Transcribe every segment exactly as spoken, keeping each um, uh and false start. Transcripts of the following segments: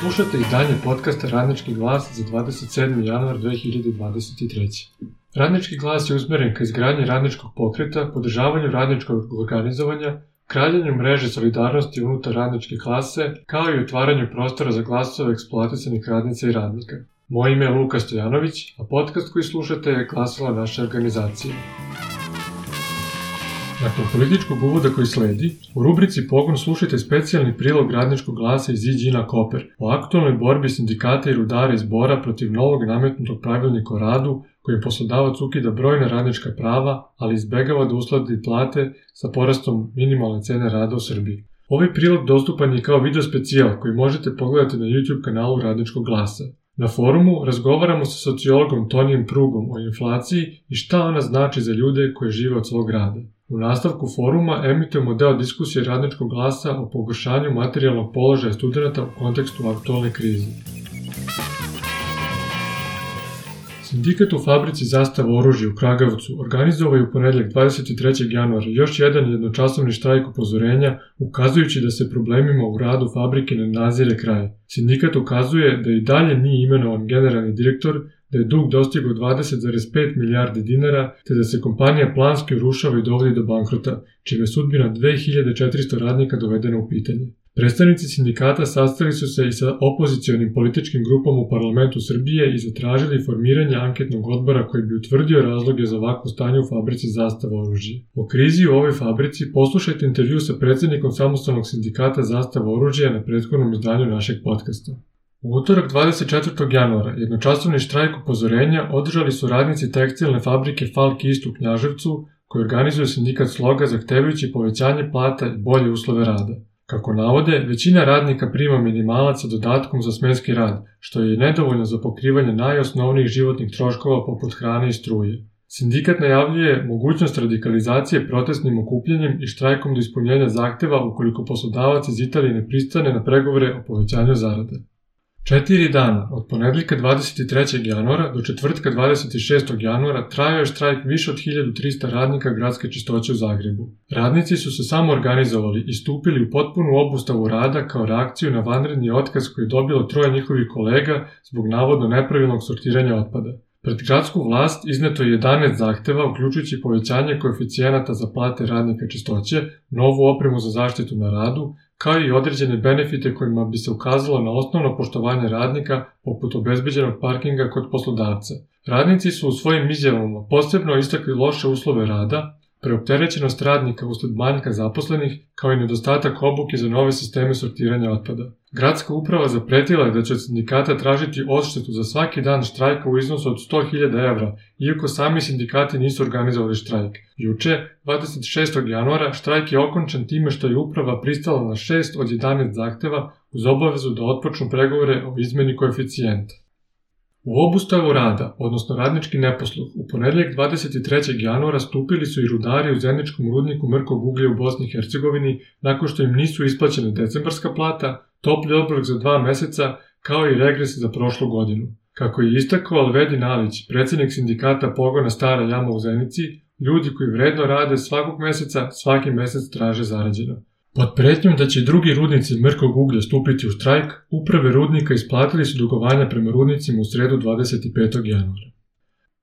Slušate izdanje podcasta Radnički glas za dvadeset sedmi januar dve hiljade dvadeset treće. Radnički glas je usmjeren ka izgradnji radničkog pokreta, podržavanju radničkog organizovanja, kraljenju mreže solidarnosti unutar radničke klase, kao i otvaranju prostora za glasove eksploatisanih radnica i radnika. Moje ime je Luka Stojanović, a podcast koji slušate je glasila naše organizacije. Nakon političkog uvoda koji sledi, u rubrici Pogon slušajte specijalni prilog radničkog glasa iz Iđina Koper o aktualnoj borbi sindikata i rudara iz Bora protiv novog nametnutog pravilnika o radu kojim poslodavac ukida brojna radnička prava, ali izbegava da usladi plate sa porastom minimalne cene rada u Srbiji. Ovaj prilog dostupan je kao video specijal koji možete pogledati na YouTube kanalu Radničkog glasa. Na forumu razgovaramo sa sociologom Tonijem Prugom o inflaciji i šta ona znači za ljude koji žive od svog rada. U nastavku foruma emitujemo deo diskusije Radničkog glasa o pogoršanju materijalnog položaja studenata u kontekstu aktualne krize. Sindikat u fabrici Zastava oružja u Kragujevcu organizovao je u ponedjeljak dvadeset trećeg januara još jedan jednočasovni štrajk upozorenja, ukazujući da se problemima u radu fabrike ne nazire kraj. Sindikat ukazuje da i dalje nije imenovan generalni direktor, da je dug dostigao dvadeset zarez pet milijardi dinara, te da se kompanija planski urušava i dovodi do bankrota, čime je sudbina dve hiljade četiristo radnika dovedena u pitanje. Predstavnici sindikata sastali su se i sa opozicionim političkim grupama u parlamentu Srbije i zatražili formiranje anketnog odbora koji bi utvrdio razloge za ovakvo stanje u fabrici Zastava oružja. O krizi u ovoj fabrici poslušajte intervju sa predsjednikom samostalnog sindikata Zastava oružja na prethodnom izdanju našeg podcasta. U utorak dvadeset četvrtog januara jednočasovni štrajk upozorenja održali su radnici tekstilne fabrike Falk East u Knjaževcu, koji organizuje sindikat Sloga zahtevajući povećanje plata i bolje uslove rada. Kako navode, većina radnika prima minimalac sa dodatkom za smenski rad, što je i nedovoljno za pokrivanje najosnovnijih životnih troškova poput hrane i struje. Sindikat najavljuje mogućnost radikalizacije protestnim okupljanjem i štrajkom do ispunjenja zahteva ukoliko poslodavac iz Italije ne pristane na pregovore o povećanju zarade. Četiri dana, od ponedjeljka dvadeset trećeg januara do četvrtka dvadeset šestog januara, trajao je štrajk više od hiljadu trista radnika gradske čistoće u Zagrebu. Radnici su se samo organizovali i stupili u potpunu obustavu rada kao reakciju na vanredni otkaz koji je dobilo troje njihovih kolega zbog navodno nepravilnog sortiranja otpada. Pred gradsku vlast izneto je jedanaest zahteva, uključujući povećanje koeficijenata za plate radnika čistoće, novu opremu za zaštitu na radu, kao i određene benefite kojima bi se ukazalo na osnovno poštovanje radnika, poput obezbeđenog parkinga kod poslodavca. Radnici su u svojim izjavama posebno istakli loše uslove rada, preopterećenost radnika usled manjka zaposlenih, kao i nedostatak obuke za nove sisteme sortiranja otpada. Gradska uprava zapretila je da će od sindikata tražiti odštetu za svaki dan štrajka u iznosu od sto hiljada evra, iako sami sindikati nisu organizovali štrajk. Juče, dvadeset šestog januara, štrajk je okončan time što je uprava pristala na šest od jedanaest zahteva uz obavezu da otpočnu pregovore o izmeni koeficijenta. U obustavu rada, odnosno radnički neposluh, u ponedjeljak dvadeset trećeg januara stupili su i rudari u zemljičkom rudniku mrkog uglja u Bosni i Hercegovini nakon što im nisu isplaćene decembarska plata, topli obrok za dva meseca, kao i regres za prošlu godinu. Kako je istakao Alvedin Alić, predsjednik sindikata Pogona Stara Jama u Zenici, ljudi koji vredno rade svakog meseca, svaki mesec traže zarađeno. Pod pretnjom da će i drugi rudnici mrkog uglja stupiti u štrajk, uprave rudnika isplatili su dugovanja prema rudnicima u sredu dvadeset petog januara.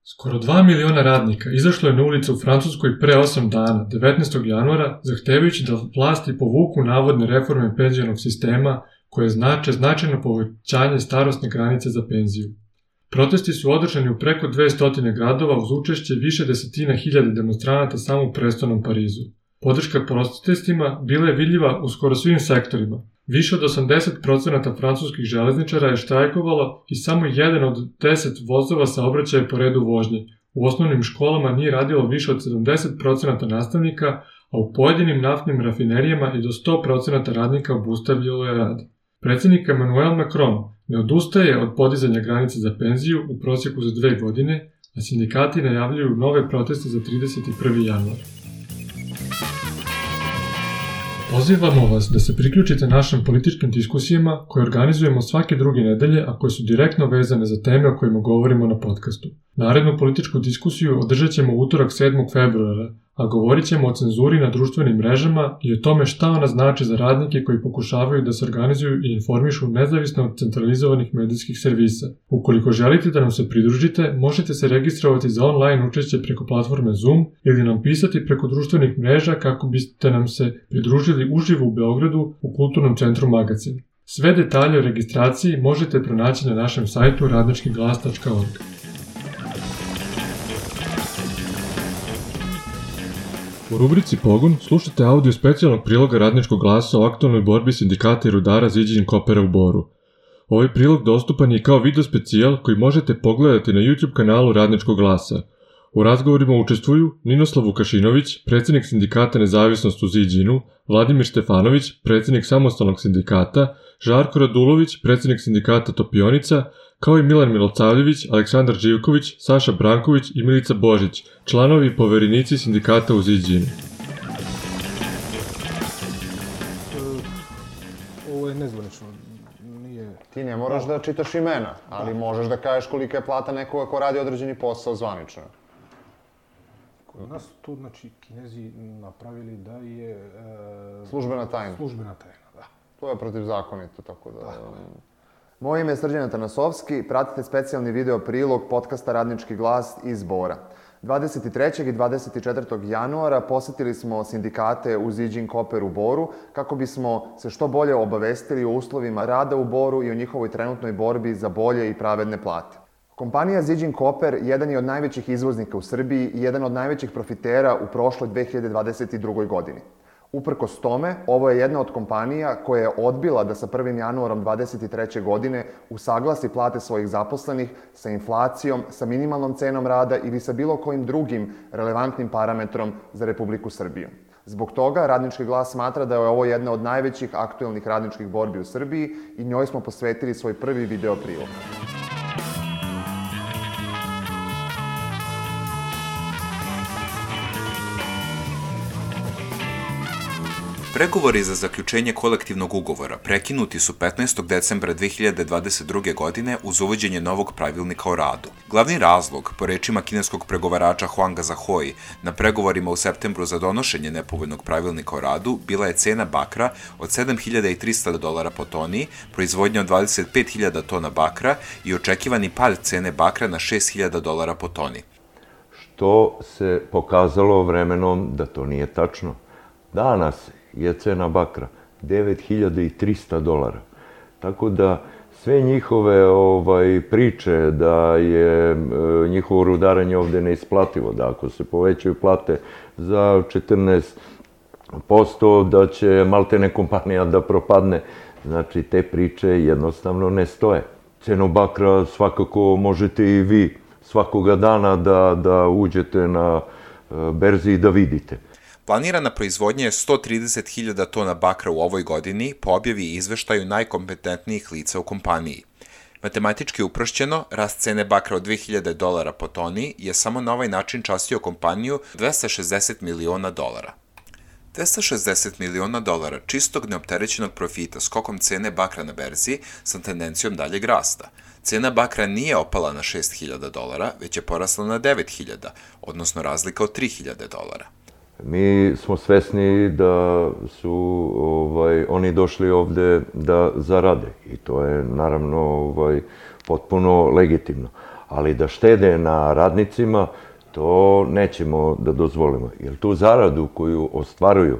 Skoro dva miliona radnika izašlo je na ulicu u Francuskoj pre osam dana, devetnaestog januara, zahtevajući da vlasti povuku navodne reforme penzionog sistema koje znače značajno povećanje starosne granice za penziju. Protesti su održani u preko dvesta gradova uz učešće više desetina hiljada demonstranata samo u prestolnom Parizu. Podrška protestima bila je vidljiva u skoro svim sektorima. Više od osamdeset posto francuskih železničara je štrajkovalo i samo jedan od deset vozova saobraćaja po redu vožnje. U osnovnim školama nije radilo više od sedamdeset posto nastavnika, a u pojedinim naftnim rafinerijama i do sto posto radnika obustavljalo je rad. Predsjednik Emmanuel Macron ne odustaje od podizanja granice za penziju u prosjeku za dve godine, a sindikati najavljuju nove proteste za trideset prvi januar. Pozivamo vas da se priključite našim političkim diskusijama koje organizujemo svake druge nedelje, a koje su direktno vezane za teme o kojima govorimo na podcastu. Narednu političku diskusiju održat ćemo utorak sedmog februara, a govorit ćemo o cenzuri na društvenim mrežama i o tome šta ona znači za radnike koji pokušavaju da se organizuju i informišu nezavisno od centralizovanih medijskih servisa. Ukoliko želite da nam se pridružite, možete se registrovati za online učešće preko platforme Zoom ili nam pisati preko društvenih mreža kako biste nam se pridružili uživo u Beogradu u Kulturnom centru Magacin. Sve detalje o registraciji možete pronaći na našem sajtu radnički glas tačka org. U rubrici Pogon slušate audio specijalnog priloga Radničkog glasa o aktualnoj borbi sindikata i rudara Ziđin Kopera u Boru. Ovaj prilog dostupan je kao video specijal koji možete pogledati na YouTube kanalu Radničkog glasa. U razgovorima učestvuju Ninoslav Vukašinović, predsjednik sindikata Nezavisnost u Ziđinu, Vladimir Štefanović, predsjednik samostalnog sindikata, Žarko Radulović, predsjednik sindikata Topionica, kao i Milan Milosavljević, Aleksandar Živković, Saša Branković i Milica Božić, članovi i poverenici sindikata u Ziđinu. Ovo je nezvanično. Nije... Ti ne moraš da čitaš imena, ali možeš da kažeš kolika je plata nekoga ko radi određeni posao zvanično. Kod nas to, znači, Kinezi napravili da je... E... Službena tajna. Službena tajna, da. To je protivzakonito, tako da... Tako je. Moje ime je Srđan Atanasovski, pratite specijalni video prilog podcasta Radnički glas iz Bora. dvadeset trećeg i dvadeset četvrtog januara posetili smo sindikate u Ziđin Koper u Boru kako bismo se što bolje obavestili o uslovima rada u Boru i o njihovoj trenutnoj borbi za bolje i pravedne plate. Kompanija Ziđin Koper jedan je od najvećih izvoznika u Srbiji i jedan od najvećih profitera u prošloj dve hiljade dvadeset drugoj godini. Uprkos tome, ovo je jedna od kompanija koja je odbila da sa prvim januarom dvadeset treće godine usaglasi plate svojih zaposlenih sa inflacijom, sa minimalnom cenom rada ili sa bilo kojim drugim relevantnim parametrom za Republiku Srbiju. Zbog toga, Radnički glas smatra da je ovo jedna od najvećih aktuelnih radničkih borbi u Srbiji i njoj smo posvetili svoj prvi video prilog. Pregovori za zaključenje kolektivnog ugovora prekinuti su petnaestog decembra dve hiljade dvadeset druge. godine uz uvođenje novog pravilnika o radu. Glavni razlog, po rečima kineskog pregovarača Huanga Zahoi, na pregovorima u septembru za donošenje nepovoljnog pravilnika o radu bila je cena bakra od sedam hiljada trista dolara po toni, proizvodnja od dvadeset pet hiljada tona bakra i očekivani pad cene bakra na šest hiljada dolara po toni. Što se pokazalo vremenom da to nije tačno. Danas je cena bakra devet hiljada trista dolara. Tako da sve njihove ovaj, priče da je e, njihovo rudaranje ovde neisplativo, da ako se povećaju plate za četrnaest posto da će maltene kompanija da propadne, znači te priče jednostavno ne stoje. Cenu bakra svakako možete i vi svakoga dana da, da uđete na e, berzi i da vidite. Planirana proizvodnja je sto trideset hiljada tona bakra u ovoj godini po objavi i izveštaju najkompetentnijih lica u kompaniji. Matematički uprošćeno, rast cene bakra od dve hiljade dolara po toni je samo na ovaj način častio kompaniju dvesta šezdeset miliona dolara. dvesta šezdeset miliona dolara čistog neopterećenog profita skokom cene bakra na berzi sa tendencijom daljeg rasta. Cena bakra nije opala na šest hiljada dolara, već je porasla na devet hiljada, odnosno razlika od tri hiljade dolara. Mi smo svesni da su ovaj, oni došli ovde da zarade i to je naravno ovaj, potpuno legitimno. Ali da štede na radnicima, to nećemo da dozvolimo. Jer tu zaradu koju ostvaruju,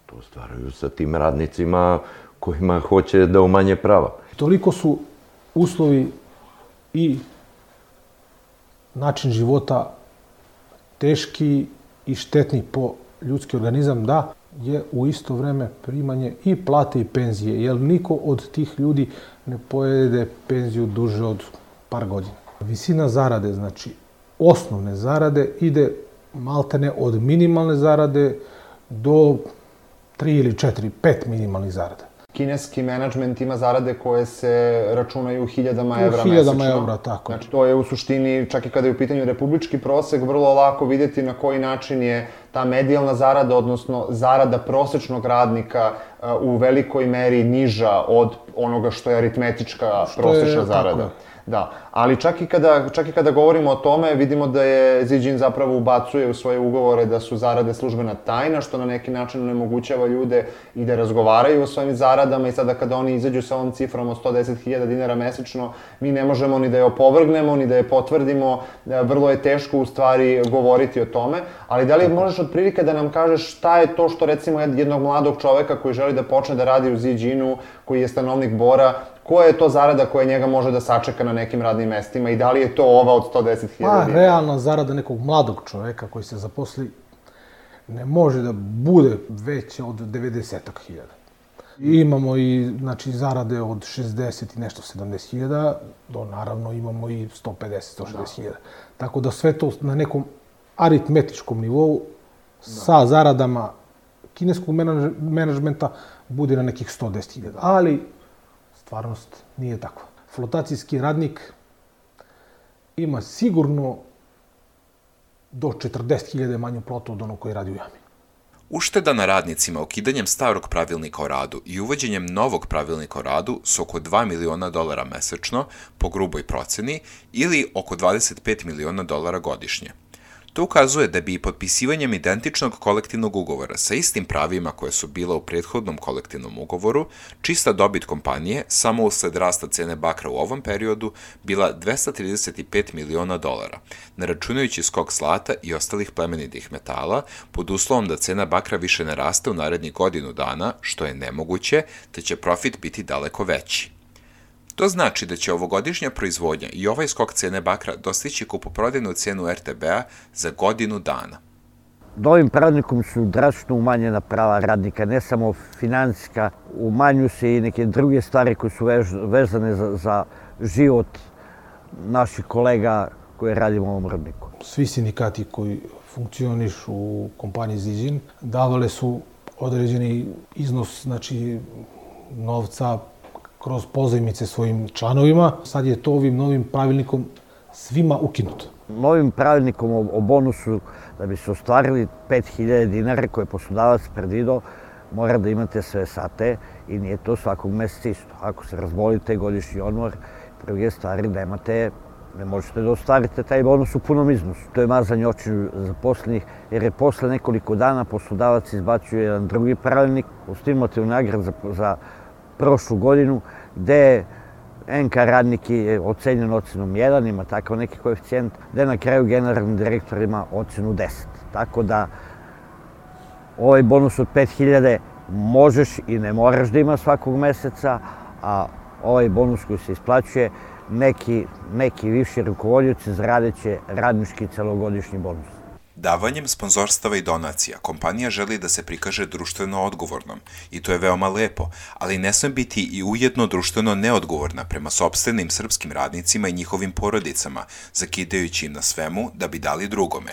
to ostvaruju sa tim radnicima kojima hoće da umanje prava. Toliko su uslovi i način života teški i štetni po ljudski organizam, da je u isto vreme primanje i plate i penzije, jer niko od tih ljudi ne pojede penziju duže od par godina. Visina zarade, znači osnovne zarade, ide maltene od minimalne zarade do tri ili četiri, pet minimalnih zarada. Kineski menadžment ima zarade koje se računaju u hiljadama evra mesečno. U hiljadama evra, tako. Znači, to je u suštini, čak i kada je u pitanju republički prosek, vrlo lako vidjeti na koji način je ta medijalna zarada, odnosno zarada prosečnog radnika u velikoj meri niža od onoga što je aritmetička prosečna zarada. Da, ali čak i, kada, čak i kada govorimo o tome, vidimo da je Ziđin zapravo ubacuje u svoje ugovore da su zarade službena tajna, što na neki način onemogućava ljude i da razgovaraju o svojim zaradama i sada kada oni izađu sa ovom cifrom od sto deset hiljada dinara mesečno, mi ne možemo ni da je opovrgnemo, ni da je potvrdimo, vrlo je teško u stvari govoriti o tome, ali da li možeš otprilike da nam kažeš šta je to što recimo jednog mladog čoveka koji želi da počne da radi u Ziđinu, koji je stanovnik Bora, koja je to zarada koja njega može da sačeka na nekim radnim mestima i da li je to ova od sto deset hiljada dinara? Pa, realna zarada nekog mladog čoveka koji se zaposli ne može da bude veća od devedeset hiljada. Imamo i, znači, zarade od šezdeset i nešto, sedamdeset hiljada, do naravno imamo i sto pedeset, sto šezdeset hiljada. Tako da sve to na nekom aritmetičkom nivou sa zaradama kineskog menadžmenta bude na nekih sto deset hiljada. Ali stvarnost nije takva. Flotacijski radnik ima sigurno do četrdeset hiljada manju platu od onog koji radi u jami. Ušteda na radnicima ukidanjem starog pravilnika o radu i uvođenjem novog pravilnika o radu su oko dva miliona dolara mesečno po gruboj proceni ili oko dvadeset pet miliona dolara godišnje. To ukazuje da bi i potpisivanjem identičnog kolektivnog ugovora sa istim pravima koje su bila u prethodnom kolektivnom ugovoru, čista dobit kompanije, samo usled rasta cene bakra u ovom periodu, bila dvesta trideset pet miliona dolara, ne računajući skok zlata i ostalih plemenitih metala, pod uslovom da cena bakra više ne raste u narednih godinu dana, što je nemoguće, te će profit biti daleko veći. To znači da će ovogodišnja proizvodnja i ovaj skok cene bakra dostići kupoprodajnu cenu er te be-a za godinu dana. Novim pravilnikom su drastično umanjena prava radnika, ne samo finansijska, umanjuju se i neke druge stvari koje su vezane za, za život naših kolega koji radimo u ovom rudniku. Svi sindikati koji funkcionišu u kompaniji Ziđin davale su određeni iznos, znači, novca kroz pozajmice svojim članovima. Sad je to ovim novim pravilnikom svima ukinuto. Novim pravilnikom o bonusu, da bi se ostvarili pet hiljada dinara koje je poslodavac predvideo, mora da imate sve sate i nije to svakog meseca isto. Ako se razbolite, godišnji odmor, druge stvari nemate, ne možete da ostvarite taj bonus u punom iznosu. To je mazanje očiju zaposlenih, jer je posle nekoliko dana poslodavac izbačuje jedan drugi pravilnik u stimulativnu nagradu za, za prošlu godinu, gde en ka radnik je ocenjen ocenom jedan, ima takav neki koeficijent, gde na kraju generalni direktor ima ocenu deset. Tako da ovaj bonus od pet hiljada možeš i ne moraš da ima svakog meseca, a ovaj bonus koji se isplaćuje, neki, neki viši rukovodioci zaradeće radnički celogodišnji bonus. Davanjem sponzorstava i donacija, kompanija želi da se prikaže društveno odgovornom i to je veoma lepo, ali ne sme biti i ujedno društveno neodgovorna prema sopstvenim srpskim radnicima i njihovim porodicama, zakidajući im na svemu da bi dali drugome.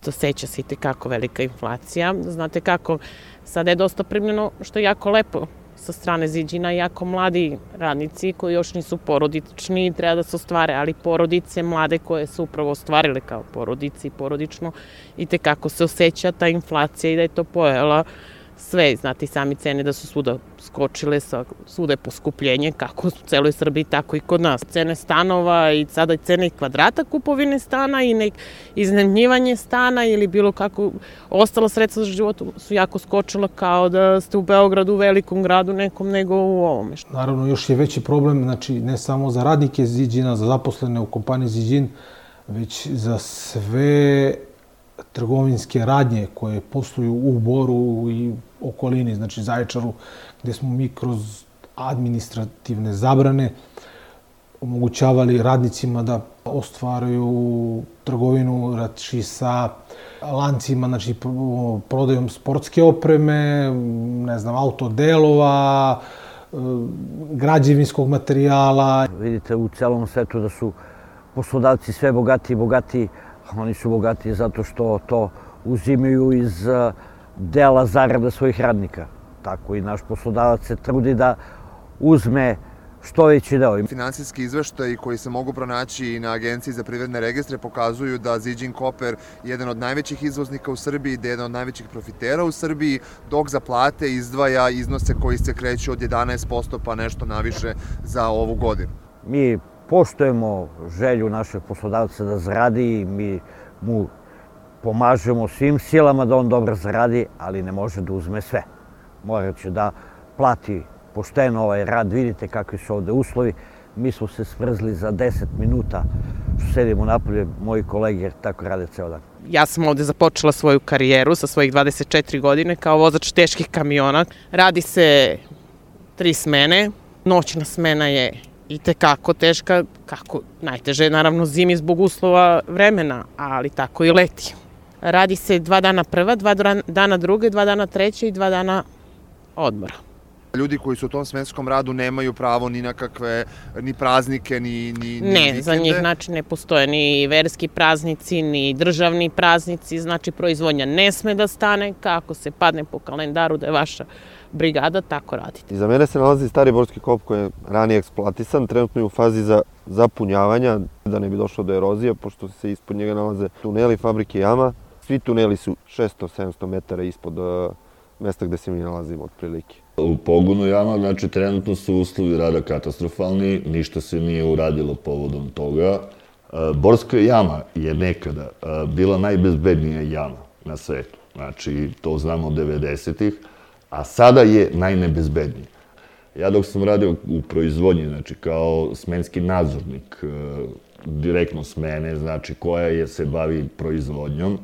Oseća se i tekako velika inflacija. Znate kako, sada je dosta primljeno, što je jako lepo sa strane Ziđina, jako mladi radnici koji još nisu porodični, treba da se ostvare, ali porodice mlade koje su upravo ostvarile kao porodice i porodično, i tekako se osjeća ta inflacija i da je to pojela sve. Znate i sami cene da su svuda skočile, svuda je poskupljenje, kako u celoj Srbiji, tako i kod nas. Cene stanova i sada i cene kvadrata kupovine stana i nek iznajmljivanje stana ili bilo kako ostala sredstva za život su jako skočila, kao da ste u Beogradu, u velikom gradu nekom, nego u ovome. Naravno, još je veći problem, znači ne samo za radnike Ziđina, za zaposlene u kompaniji Ziđin, već za sve trgovinske radnje koje posluju u Boru i okolini, znači Zaječaru, gde smo mi kroz administrativne zabrane omogućavali radnicima da ostvaraju trgovinu znači, sa lancima, znači prodajom sportske opreme, ne znam, autodelova, građevinskog materijala. Vidite u celom svetu da su poslodavci sve bogatiji i bogatiji. Oni su bogatiji zato što to uzimaju iz dela zarada svojih radnika. Tako i naš poslodavac se trudi da uzme što veći deo. Finansijski izveštaji koji se mogu pronaći na Agenciji za privredne registre pokazuju da Ziđin Koper je jedan od najvećih izvoznika u Srbiji, da je jedan od najvećih profitera u Srbiji, dok za plate izdvaja iznose koji se kreću od jedanaest posto pa nešto naviše za ovu godinu. Mi poštujemo želju našeg poslodavca da zaradi i mi mu pomažemo svim silama da on dobro zaradi, ali ne može da uzme sve. Morat će da plati pošteno ovaj rad, vidite kakvi su ovde uslovi. Mi smo se smrzli za deset minuta što sedimo napolje, moji kolege tako rade ceo dan. Ja sam ovde započela svoju karijeru sa svojih dvadeset četiri godine kao vozač teških kamiona. Radi se tri smene, noćna smena je i tekako teška, kako najteže je naravno zimi zbog uslova vremena, ali tako i leti. Radi se dva dana prva, dva dana druga, dva dana treća i dva dana odmora. Ljudi koji su u tom smenskom radu nemaju pravo ni na kakve, ni praznike, ni, ni, ni Ne, vikende. za njih znači ne postoje ni verski praznici, ni državni praznici, znači proizvodnja ne sme da stane, kako se padne po kalendaru da je vaša brigada, tako radite. Iza mene se nalazi stari Borski kop koji je ranije eksploatisan, trenutno je u fazi za zapunjavanja, da ne bi došlo do erozije, pošto se ispod njega nalaze tuneli, fabrike jama. Svi tuneli su šesto do sedamsto metara ispod uh, mesta gde se mi nalazimo, otprilike. U pogonu jama, znači, trenutno su uslovi rada katastrofalni, ništa se nije uradilo povodom toga. Borska jama je nekada bila najbezbednija jama na svetu, znači, to znamo od devedesetih, a sada je najnebezbednija. Ja dok sam radio u proizvodnji, znači, kao smenski nadzornik, direktno smene, znači, koja je se bavi proizvodnjom,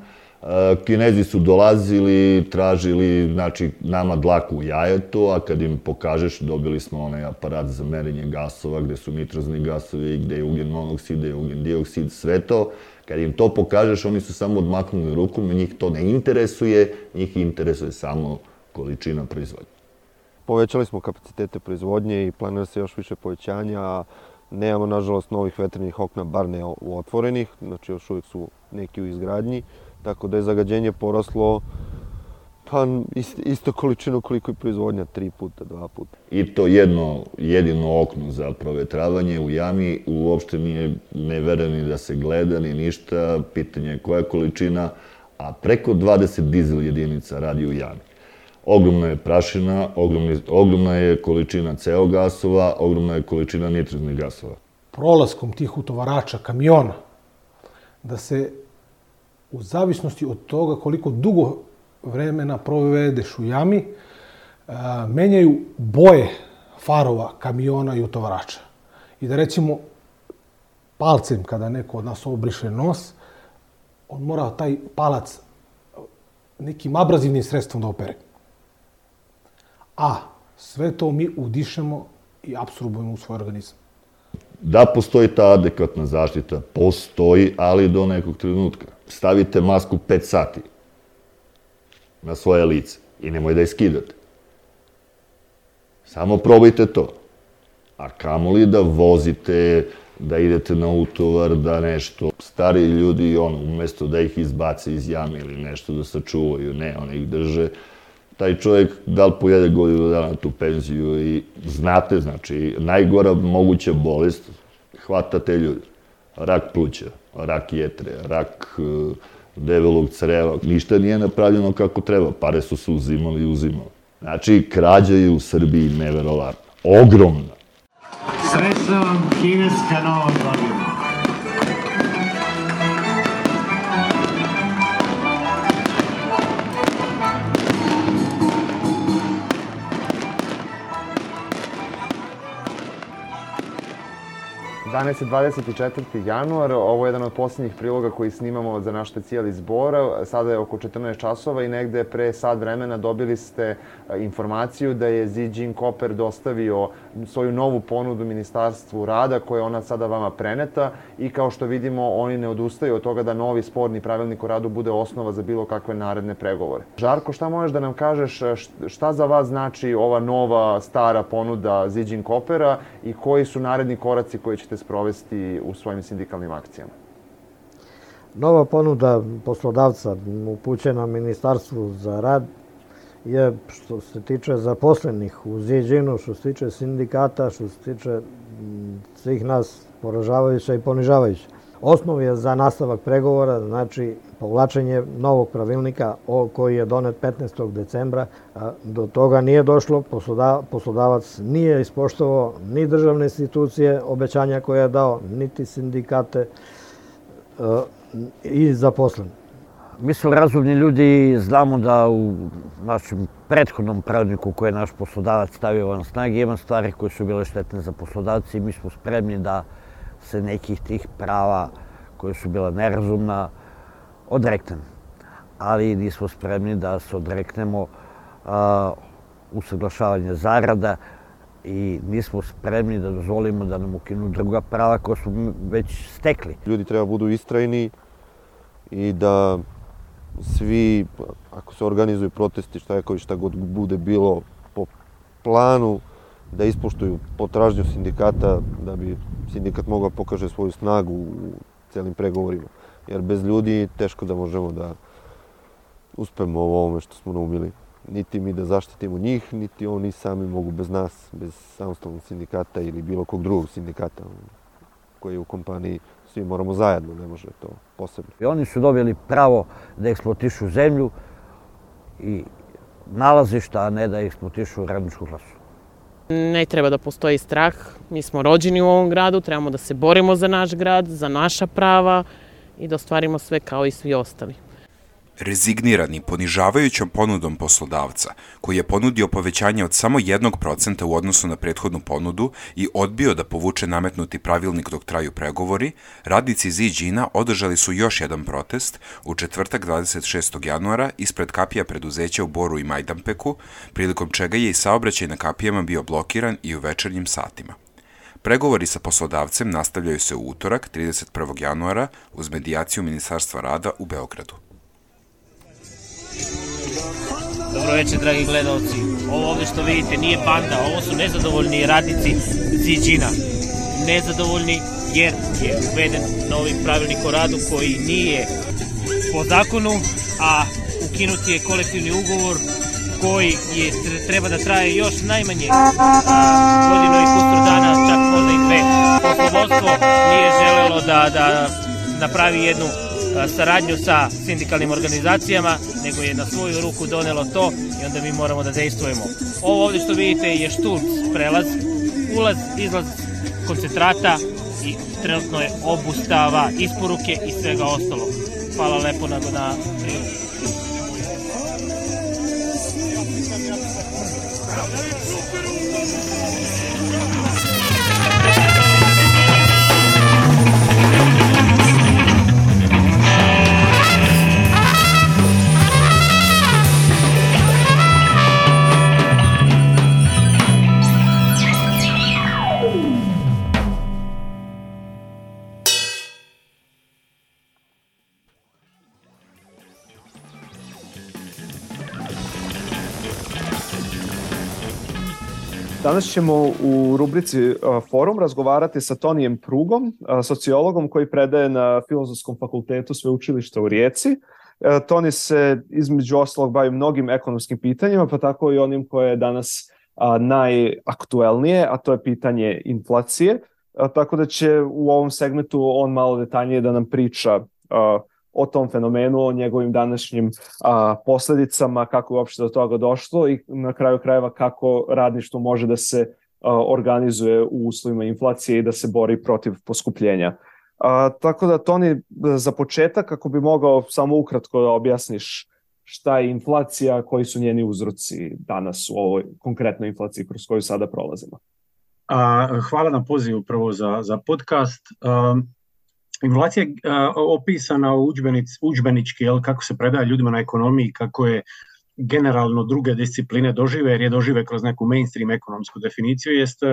Kinezi su dolazili, tražili, znači, nama dlaku u jajetu, a kad im pokažeš, dobili smo onaj aparat za merenje gasova, gde su nitrozni gasovi, gde je ugljen monoksid, gde je ugljen dioksid, sve to. Kad im to pokažeš, oni su samo odmaknuli rukom, njih to ne interesuje, njih interesuje samo količina proizvodnje. Povećali smo kapacitete proizvodnje i planira se još više povećanja. Nemamo, nažalost, novih vetrenih okna, bar ne u otvorenih, znači još uvijek su neki u izgradnji. Tako da je zagađenje poraslo pa isto količinu koliko je proizvodnja, tri puta, dva puta. I to jedno, jedino okno za provetravanje u jami uopšte nije nevereni da se gleda ni ništa, pitanje je koja količina, a preko dvadeset dizel jedinica radi u jami. Ogromna je prašina, ogromni, ogromna je količina ce o gasova, ogromna je količina nitroznih gasova. Prolaskom tih utovarača, kamiona, da se u zavisnosti od toga koliko dugo vremena provedeš u jami, menjaju boje farova, kamiona i utovarača. I da recimo palcem, kada neko od nas obriše nos, on mora taj palac nekim abrazivnim sredstvom da opere. A sve to mi udišemo i apsorbujemo u svoj organizam. Da postoji ta adekvatna zaštita, postoji, ali do nekog trenutka. Stavite masku pet sati na svoje lice i nemoj da je skidate. Samo probajte to. A kamoli da vozite, da idete na utovar, da nešto. Stari ljudi, ono, umesto da ih izbace iz jame ili nešto da sačuvaju, ne, oni ih drže. Taj čovjek da li pojede godinu dana tu penziju i znate, znači, najgora moguća bolest hvata te ljudi. Rak pluća, rak jetre, rak uh, debelog creva. Ništa nije napravljeno kako treba. Pare su se uzimali i uzimali. Znači, krađa je u Srbiji neverovatna. Ogromna. Srećna vam kineska nova godina. Danas je dvadeset četvrti januar, ovo je jedan od posljednjih priloga koji snimamo za naš specijal iz Bora. Sada je oko četrnaest časova i negde pre sat vremena dobili ste informaciju da je Ziđin Koper dostavio svoju novu ponudu Ministarstvu rada, koja je ona sada vama preneta i kao što vidimo oni ne odustaju od toga da novi sporni pravilnik o radu bude osnova za bilo kakve naredne pregovore. Žarko, šta možeš da nam kažeš, šta za vas znači ova nova stara ponuda Ziđin Kopera i koji su naredni koraci koje ćete sprovesti u svojim sindikalnim akcijama? Nova ponuda poslodavca upućena Ministarstvu za rad je što se tiče zaposlenih u Ziđinu, što se tiče sindikata, što se tiče svih nas poražavajuća i ponižavajuća. Osnov je za nastavak pregovora, znači povlačenje novog pravilnika koji je donet petnaestog decembra. Do toga nije došlo, poslodavac nije ispoštovao ni državne institucije, obećanja koje je dao, niti sindikate i zaposleni. Mi smo razumni ljudi i znamo da u našem prethodnom pravilniku koji je naš poslodavac stavio van snage ima stvari koje su bile štetne za poslodavci i mi smo spremni da se nekih tih prava koje su bila nerazumna odreknemo. Ali nismo spremni da se odreknemo a, usaglašavanja zarada i nismo spremni da dozvolimo da nam ukinu druga prava koja smo već stekli. Ljudi treba budu istrajni i da svi, ako se organizuju protesti, štrajkovi, šta god bude bilo po planu, da ispoštuju potražnju sindikata, da bi sindikat mogao pokaže svoju snagu u celim pregovorima. Jer bez ljudi teško da možemo da uspemo u ovome što smo naumili. Niti mi da zaštitimo njih, niti oni sami mogu bez nas, bez samostalnog sindikata ili bilo kog drugog sindikata koji je u kompaniji. Svi moramo zajedno, ne može to posebno. I oni su dobili pravo da eksploatišu zemlju i nalazišta, a ne da eksploatišu radničku klasu. Ne treba da postoji strah. Mi smo rođeni u ovom gradu, trebamo da se borimo za naš grad, za naša prava i da ostvarimo sve kao i svi ostali. Rezignirani ponižavajućom ponudom poslodavca, koji je ponudio povećanje od samo jednog procenta u odnosu na prethodnu ponudu i odbio da povuče nametnuti pravilnik dok traju pregovori, radnici Ziđina održali su još jedan protest u četvrtak dvadeset šestog januara ispred kapija preduzeća u Boru i Majdanpeku, prilikom čega je i saobraćaj na kapijama bio blokiran i u večernjim satima. Pregovori sa poslodavcem nastavljaju se u utorak, trideset prvog januara, uz medijaciju Ministarstva rada u Beogradu. Dobro večer, dragi gledalci. Ovo ovdje što vidite nije banda, ovo su nezadovoljni radnici Ziđina. Nezadovoljni jer je uveden novi pravilnik o radu koji nije po zakonu, a ukinut je kolektivni ugovor koji je, treba da traje još najmanje godinu i kusur dana, čak možda i dve. Poslovodstvo nije želelo da, da napravi jednu saradnju sa sindikalnim organizacijama, nego je na svoju ruku donelo to i onda mi moramo da dejstvujemo. Ovo ovdje što vidite je Šturc prelaz, ulaz, izlaz koncentrata i trenutno je obustava isporuke i svega ostalo. Hvala lepo na na Danas ćemo u rubrici Forum razgovarati sa Tonijem Prugom, sociologom koji predaje na Filozofskom fakultetu Sveučilišta u Rijeci. Toni se između ostalog bavi mnogim ekonomskim pitanjima, pa tako i onim koje je danas najaktuelnije, a to je pitanje inflacije. Tako da će u ovom segmentu on malo detaljnije da nam priča o tom fenomenu, o njegovim današnjim a, posljedicama, kako je uopšte do toga došlo i na kraju krajeva kako radništvo može da se a, organizuje u uslovima inflacije i da se bori protiv poskupljenja. A, tako da, Toni, za početak, kako bi mogao samo ukratko da objasniš šta je inflacija, koji su njeni uzroci danas u ovoj konkretnoj inflaciji kroz koju sada prolazimo. A, hvala na pozivu prvo za, za podcast. Um... Inflacija je uh, opisana u udžbenic, udžbenički, jel, kako se predaje ljudima na ekonomiji, kako je generalno druge discipline dožive, jer je dožive kroz neku mainstream ekonomsku definiciju, jest uh,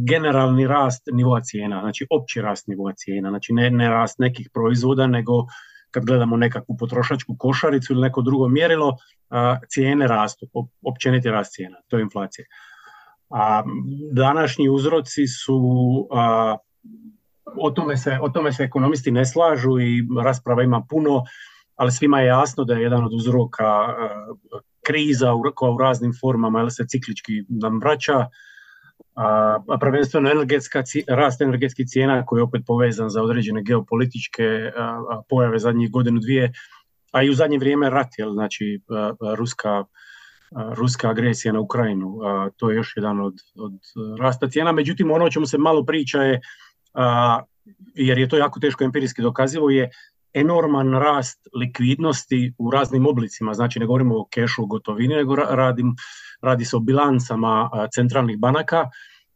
generalni rast nivoa cijena, znači opći rast nivoa cijena, znači ne, ne rast nekih proizvoda, nego kad gledamo nekakvu potrošačku košaricu ili neko drugo mjerilo, uh, cijene rastu, općeniti rast cijena, to je inflacija. A današnji uzroci su... Uh, O tome, se, o tome se ekonomisti ne slažu i rasprava ima puno, ali svima je jasno da je jedan od uzroka kriza u, koja u raznim formama jel, se ciklički nam vraća, a, a prvenstveno energetska, rast energetskih cijena koji je opet povezan za određene geopolitičke a, a, pojave zadnjih godinu dvije, a i u zadnje vrijeme rat, jel, znači a, a, ruska, a, ruska agresija na Ukrajinu, a, to je još jedan od, od rasta cijena. Međutim, ono o čemu se malo priča je, a, jer je to jako teško empirijski dokazivo, je enorman rast likvidnosti u raznim oblicima, znači ne govorimo o kešu, gotovini, nego radim, radi se o bilancama a, centralnih banaka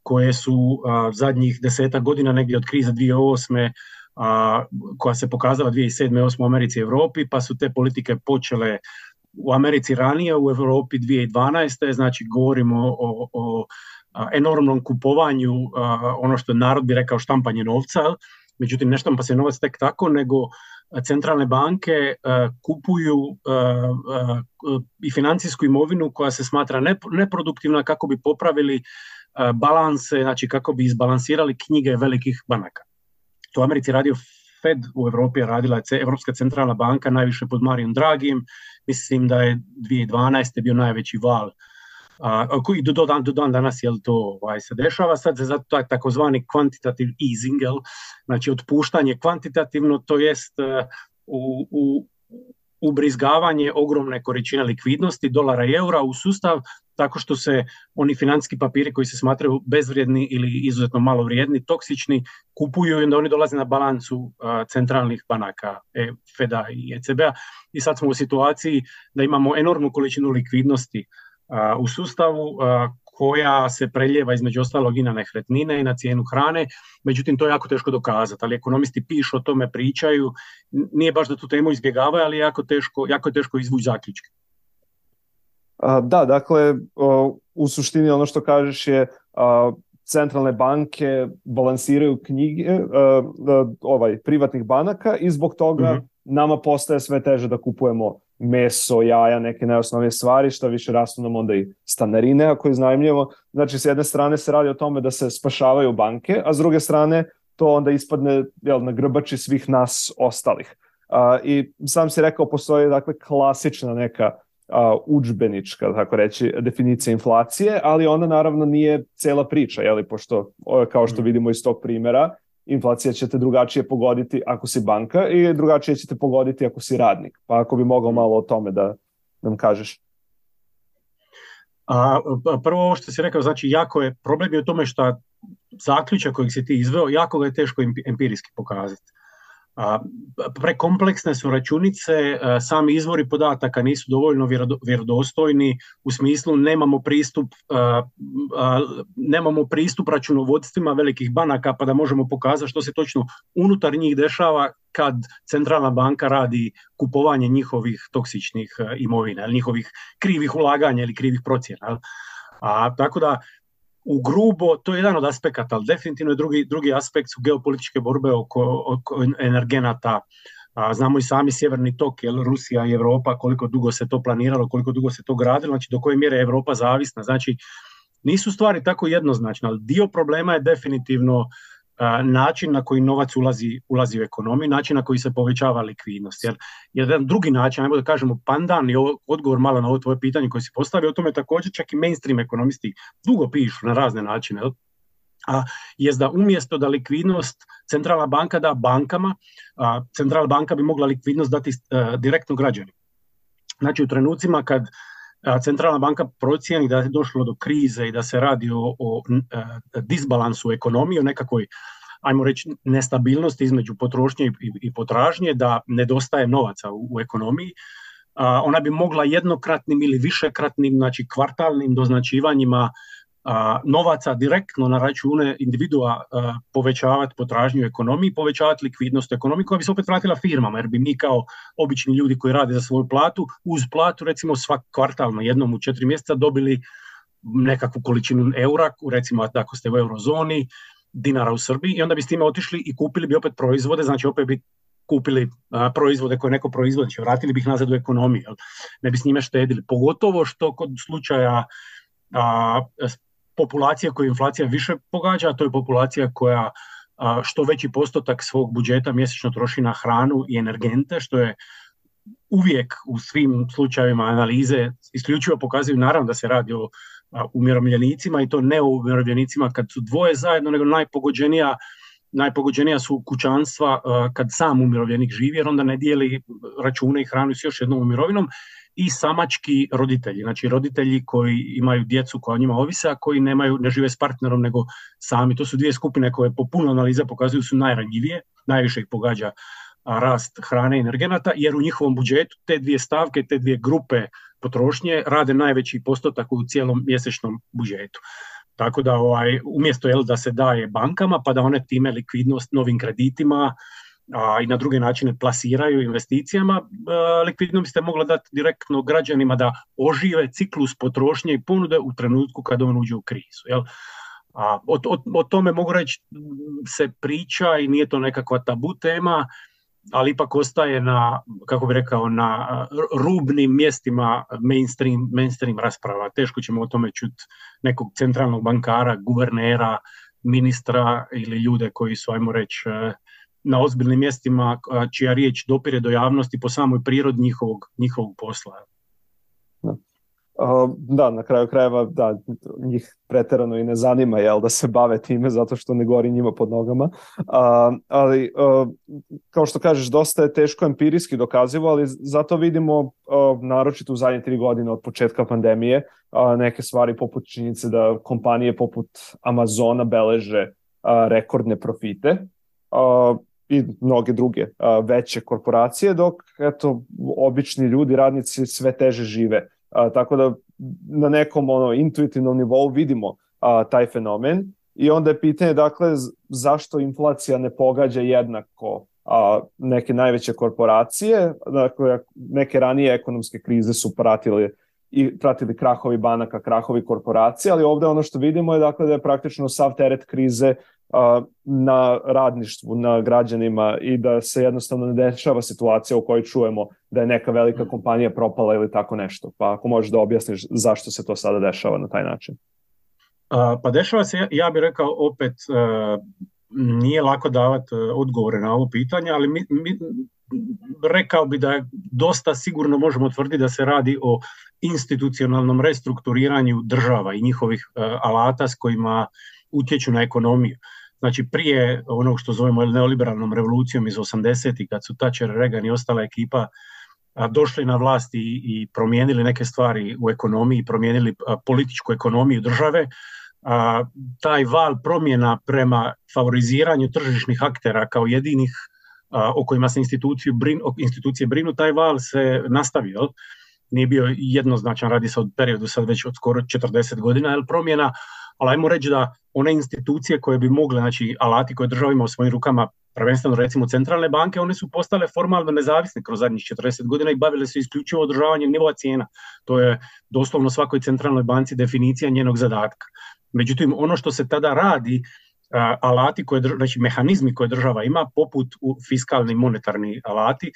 koje su a, zadnjih desetak godina, negdje od krize dvije tisuće osme, a, koja se pokazala dvije tisuće sedme osme u Americi i Europi, pa su te politike počele u Americi ranije, u Europi dvije tisuće dvanaeste, znači govorimo o, o a, enormnom kupovanju, a, ono što narod bi rekao štampanje novca, međutim ne štampa se novac tek tako, nego centralne banke uh, kupuju uh, uh, i financijsku imovinu koja se smatra neproduktivna kako bi popravili uh, balanse, znači kako bi izbalansirali knjige velikih banaka. To u Americi radio Fed, u Europi je radila Europska centralna banka, najviše pod Mariom Draghijem, mislim da je dvije tisuće dvanaeste bio najveći val. Uh, koji do, do, dan, do dan danas jel, to ovaj, se dešava, sad se zato takozvani quantitative easing, jel, znači otpuštanje kvantitativno, to jest uh, u, u, ubrizgavanje ogromne količine likvidnosti, dolara i eura u sustav, tako što se oni financijski papiri koji se smatraju bezvrijedni ili izuzetno malo vrijedni, toksični, kupuju i onda oni dolaze na balancu uh, centralnih banaka, e, Feda i E C B-a. I sad smo u situaciji da imamo enormnu količinu likvidnosti Uh, u sustavu uh, koja se preljeva između ostalog i na nekretnine i na cijenu hrane, međutim to je jako teško dokazati, ali ekonomisti pišu o tome, pričaju, nije baš da tu temu izbjegavaju, ali je jako teško, jako je teško izvući zaključke. Da, dakle, u suštini ono što kažeš je centralne banke balansiraju knjige ovaj, privatnih banaka i zbog toga mm-hmm. nama postaje sve teže da kupujemo meso, jaja, neke najosnovnije stvari, što više rastu nam onda i stanarine ako iznajmljujemo. Znači, s jedne strane se radi o tome da se spašavaju banke, a s druge strane to onda ispadne jel, na grbači svih nas ostalih. A, I sam si rekao, postoji dakle klasična neka a, udžbenička, tako reći, definicija inflacije, ali ona naravno nije cela priča, jeli, pošto, kao što vidimo iz tog primjera, inflacija će te drugačije pogoditi ako si banka i drugačije će te pogoditi ako si radnik. Pa ako bi mogao malo o tome da nam kažeš. A, prvo ovo što si rekao, znači jako je, problem je u tome što zaključak kojeg si ti izveo, jako ga je teško empirijski pokazati. A, prekompleksne su računice, a, sami izvori podataka nisu dovoljno vjerodostojni, u smislu nemamo pristup, a, a, nemamo pristup računovodstvima velikih banaka pa da možemo pokazati što se točno unutar njih dešava kad centralna banka radi kupovanje njihovih toksičnih imovina, njihovih krivih ulaganja ili krivih procjena. A, tako da u grubo, to je jedan od aspekata, ali definitivno je drugi, drugi aspekt su geopolitičke borbe oko, oko energenata. A, znamo i sami Sjeverni tok, jel, Rusija i Europa, koliko dugo se to planiralo, koliko dugo se to gradilo, znači do koje mjere je Europa zavisna. Znači, nisu stvari tako jednoznačne, ali dio problema je definitivno a, način na koji novac ulazi, ulazi u ekonomiju, način na koji se povećava likvidnost. Jer jedan drugi način, ajmo da kažemo pandan i odgovor malo na ovo tvoje pitanje koje si postavio, o tome također čak i mainstream ekonomisti dugo pišu na razne načine, a jest da umjesto da likvidnost centralna banka da bankama, a, centralna banka bi mogla likvidnost dati a, direktno građanima. Znači u trenucima kad a, centralna banka procijeni da je došlo do krize i da se radi o, o a, disbalansu ekonomije, o nekakvoj, ajmo reći, nestabilnosti između potrošnje i, i potražnje, da nedostaje novaca u, u ekonomiji, a, ona bi mogla jednokratnim ili višekratnim, znači kvartalnim doznačivanjima a, novaca direktno na račune individua a, povećavati potražnju u ekonomiji, povećavati likvidnost u ekonomiji koja bi se opet vratila firmama, jer bi mi kao obični ljudi koji rade za svoju platu, uz platu recimo svak kvartalno jednom u četiri mjeseca dobili nekakvu količinu eura, recimo ako ste u eurozoni, dinara u Srbiji, i onda bi s time otišli i kupili bi opet proizvode, znači opet bi kupili a, proizvode koje neko proizvodi, znači vratili bi ih nazad u ekonomiju, jel? Ne bi s njime štedili. Pogotovo što kod slučaja a, populacija koju inflacija više pogađa, to je populacija koja a, što veći postotak svog budžeta mjesečno troši na hranu i energente, što je uvijek u svim slučajevima analize isključivo pokazuju naravno da se radi o umirovljenicima i to ne o umirovljenicima kad su dvoje zajedno, nego najpogođenija, najpogođenija su kućanstva kad sam umirovljenik živi, jer onda ne dijeli račune i hranu s još jednom mirovinom, i samački roditelji, znači roditelji koji imaju djecu koja o njima ovise, a koji nemaju, ne žive s partnerom nego sami. To su dvije skupine koje po puno analiza pokazuju su najranjivije, najviše ih pogađa rast hrane i energenata, jer u njihovom budžetu te dvije stavke, te dvije grupe potrošnje rade najveći postotak u cijelom mjesečnom budžetu. Tako da ovaj, umjesto jel, da se daje bankama pa da one time likvidnost novim kreditima a, i na druge načine plasiraju investicijama, a, likvidnost bi se mogla dati direktno građanima da ožive ciklus potrošnje i ponude u trenutku kada on uđe u krizu. Jel? A, o, o, o tome mogu reći se priča i nije to nekakva tabu tema, ali ipak ostaje na, kako bi rekao, na rubnim mjestima mainstream, mainstream rasprava. Teško ćemo o tome čuti nekog centralnog bankara, guvernera, ministra ili ljude koji su, ajmo reći, na ozbiljnim mjestima čija riječ dopire do javnosti po samoj prirodi njihovog, njihovog posla. Uh, da, na kraju krajeva da, njih pretjerano i ne zanima jel, da se bave time zato što ne gori njima pod nogama. Uh, ali uh, kao što kažeš, dosta je teško empirijski dokazivo, ali zato vidimo uh, naročito u zadnje tri godine od početka pandemije uh, neke stvari poput činjenice da kompanije poput Amazona beleže uh, rekordne profite uh, i mnoge druge uh, veće korporacije, dok eto, obični ljudi, radnici sve teže žive. A, tako da na nekom ono, intuitivnom nivou vidimo a, taj fenomen i onda je pitanje dakle zašto inflacija ne pogađa jednako a, neke najveće korporacije. Dakle, neke ranije ekonomske krize su pratili, i, pratili krahovi banaka, krahovi korporacije, ali ovdje ono što vidimo je dakle da je praktično sav teret krize a, na radništvu, na građanima i da se jednostavno ne dešava situacija u kojoj čujemo da je neka velika kompanija propala ili tako nešto. Pa ako možeš da objasniš zašto se to sada dešava na taj način. A, pa dešava se, ja bih rekao opet, a, nije lako davati odgovore na ovo pitanje, ali mi, mi, rekao bi da je dosta sigurno možemo tvrditi da se radi o institucionalnom restrukturiranju država i njihovih a, alata s kojima utječu na ekonomiju. Znači prije onog što zovemo neoliberalnom revolucijom iz osamdesetih kad su Thatcher, Reagan i ostala ekipa a, došli na vlast i, i promijenili neke stvari u ekonomiji, promijenili a, političku ekonomiju države, a, taj val promjena prema favoriziranju tržišnih aktera kao jedinih a, o kojima se brin, institucije brinu, taj val se nastavio. Nije bio jednoznačan, radi se od periodu sad već od skoro četrdeset godina, jer promjena, ali ajmo reći da one institucije koje bi mogle, znači alati koje država ima u svojim rukama, prvenstveno recimo centralne banke, one su postale formalno nezavisne kroz zadnjih četrdeset godina i bavile se isključivo održavanjem nivoa cijena. To je doslovno svakoj centralnoj banci definicija njenog zadatka. Međutim, ono što se tada radi, alati, koje, znači mehanizmi koje država ima, poput fiskalni i monetarni alati,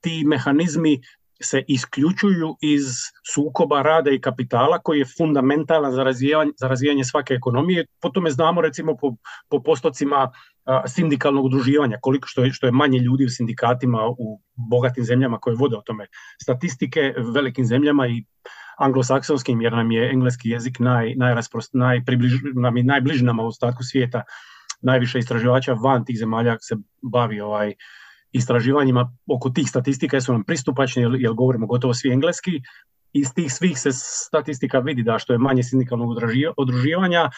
ti mehanizmi se isključuju iz sukoba rada i kapitala koji je fundamentalan za razvijanje, za razvijanje svake ekonomije. Po tome znamo recimo po, po postocima a, sindikalnog udruživanja, koliko što je, što je manje ljudi u sindikatima u bogatim zemljama koje vode o tome statistike, velikim zemljama i anglosaksonskim, jer nam je engleski jezik naj, najrasprost, najpribliž, nam je najbliži nama u ostatku svijeta. Najviše istraživača van tih zemalja se bavi ovaj istraživanjima oko tih statistika su nam pristupačni jer, jer govorimo gotovo svi engleski. Iz tih svih se statistika vidi da što je manje sindikalnog udruživanja,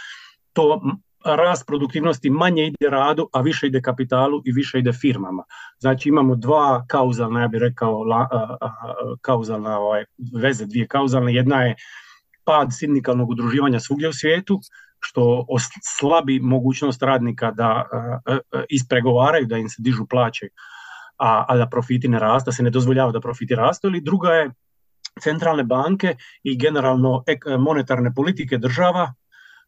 to rast produktivnosti manje ide radu, a više ide kapitalu i više ide firmama. Znači imamo dva kauzalna, ja bih rekao, la, a, a, kauzalna ovaj, veze, dvije kauzalne. Jedna je pad sindikalnog udruživanja svugdje u svijetu, što slabi mogućnost radnika da a, a, ispregovaraju, da im se dižu plaće, a, a da profiti ne rastu, da se ne dozvoljava da profiti rastu. Ili druga je centralne banke i generalno ek, monetarne politike država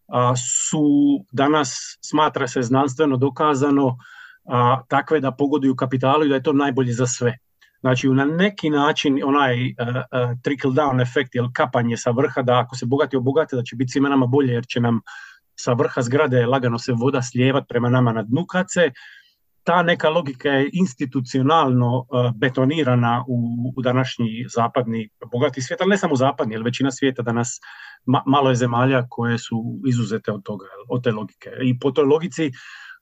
a, su danas, smatra se znanstveno dokazano, a, takve da pogoduju kapitalu i da je to najbolje za sve. Znači na neki način onaj uh, uh, trickle down efekt, jel kapanje sa vrha, da ako se bogati obogate da će biti svima nama bolje jer će nam sa vrha zgrade lagano se voda slijevat prema nama na dnu, kad se ta neka logika je institucionalno betonirana u, u današnji zapadni bogati svijet, ali ne samo zapadni, jer većina svijeta danas ma, malo je zemalja koje su izuzete od toga, od te logike. I po toj logici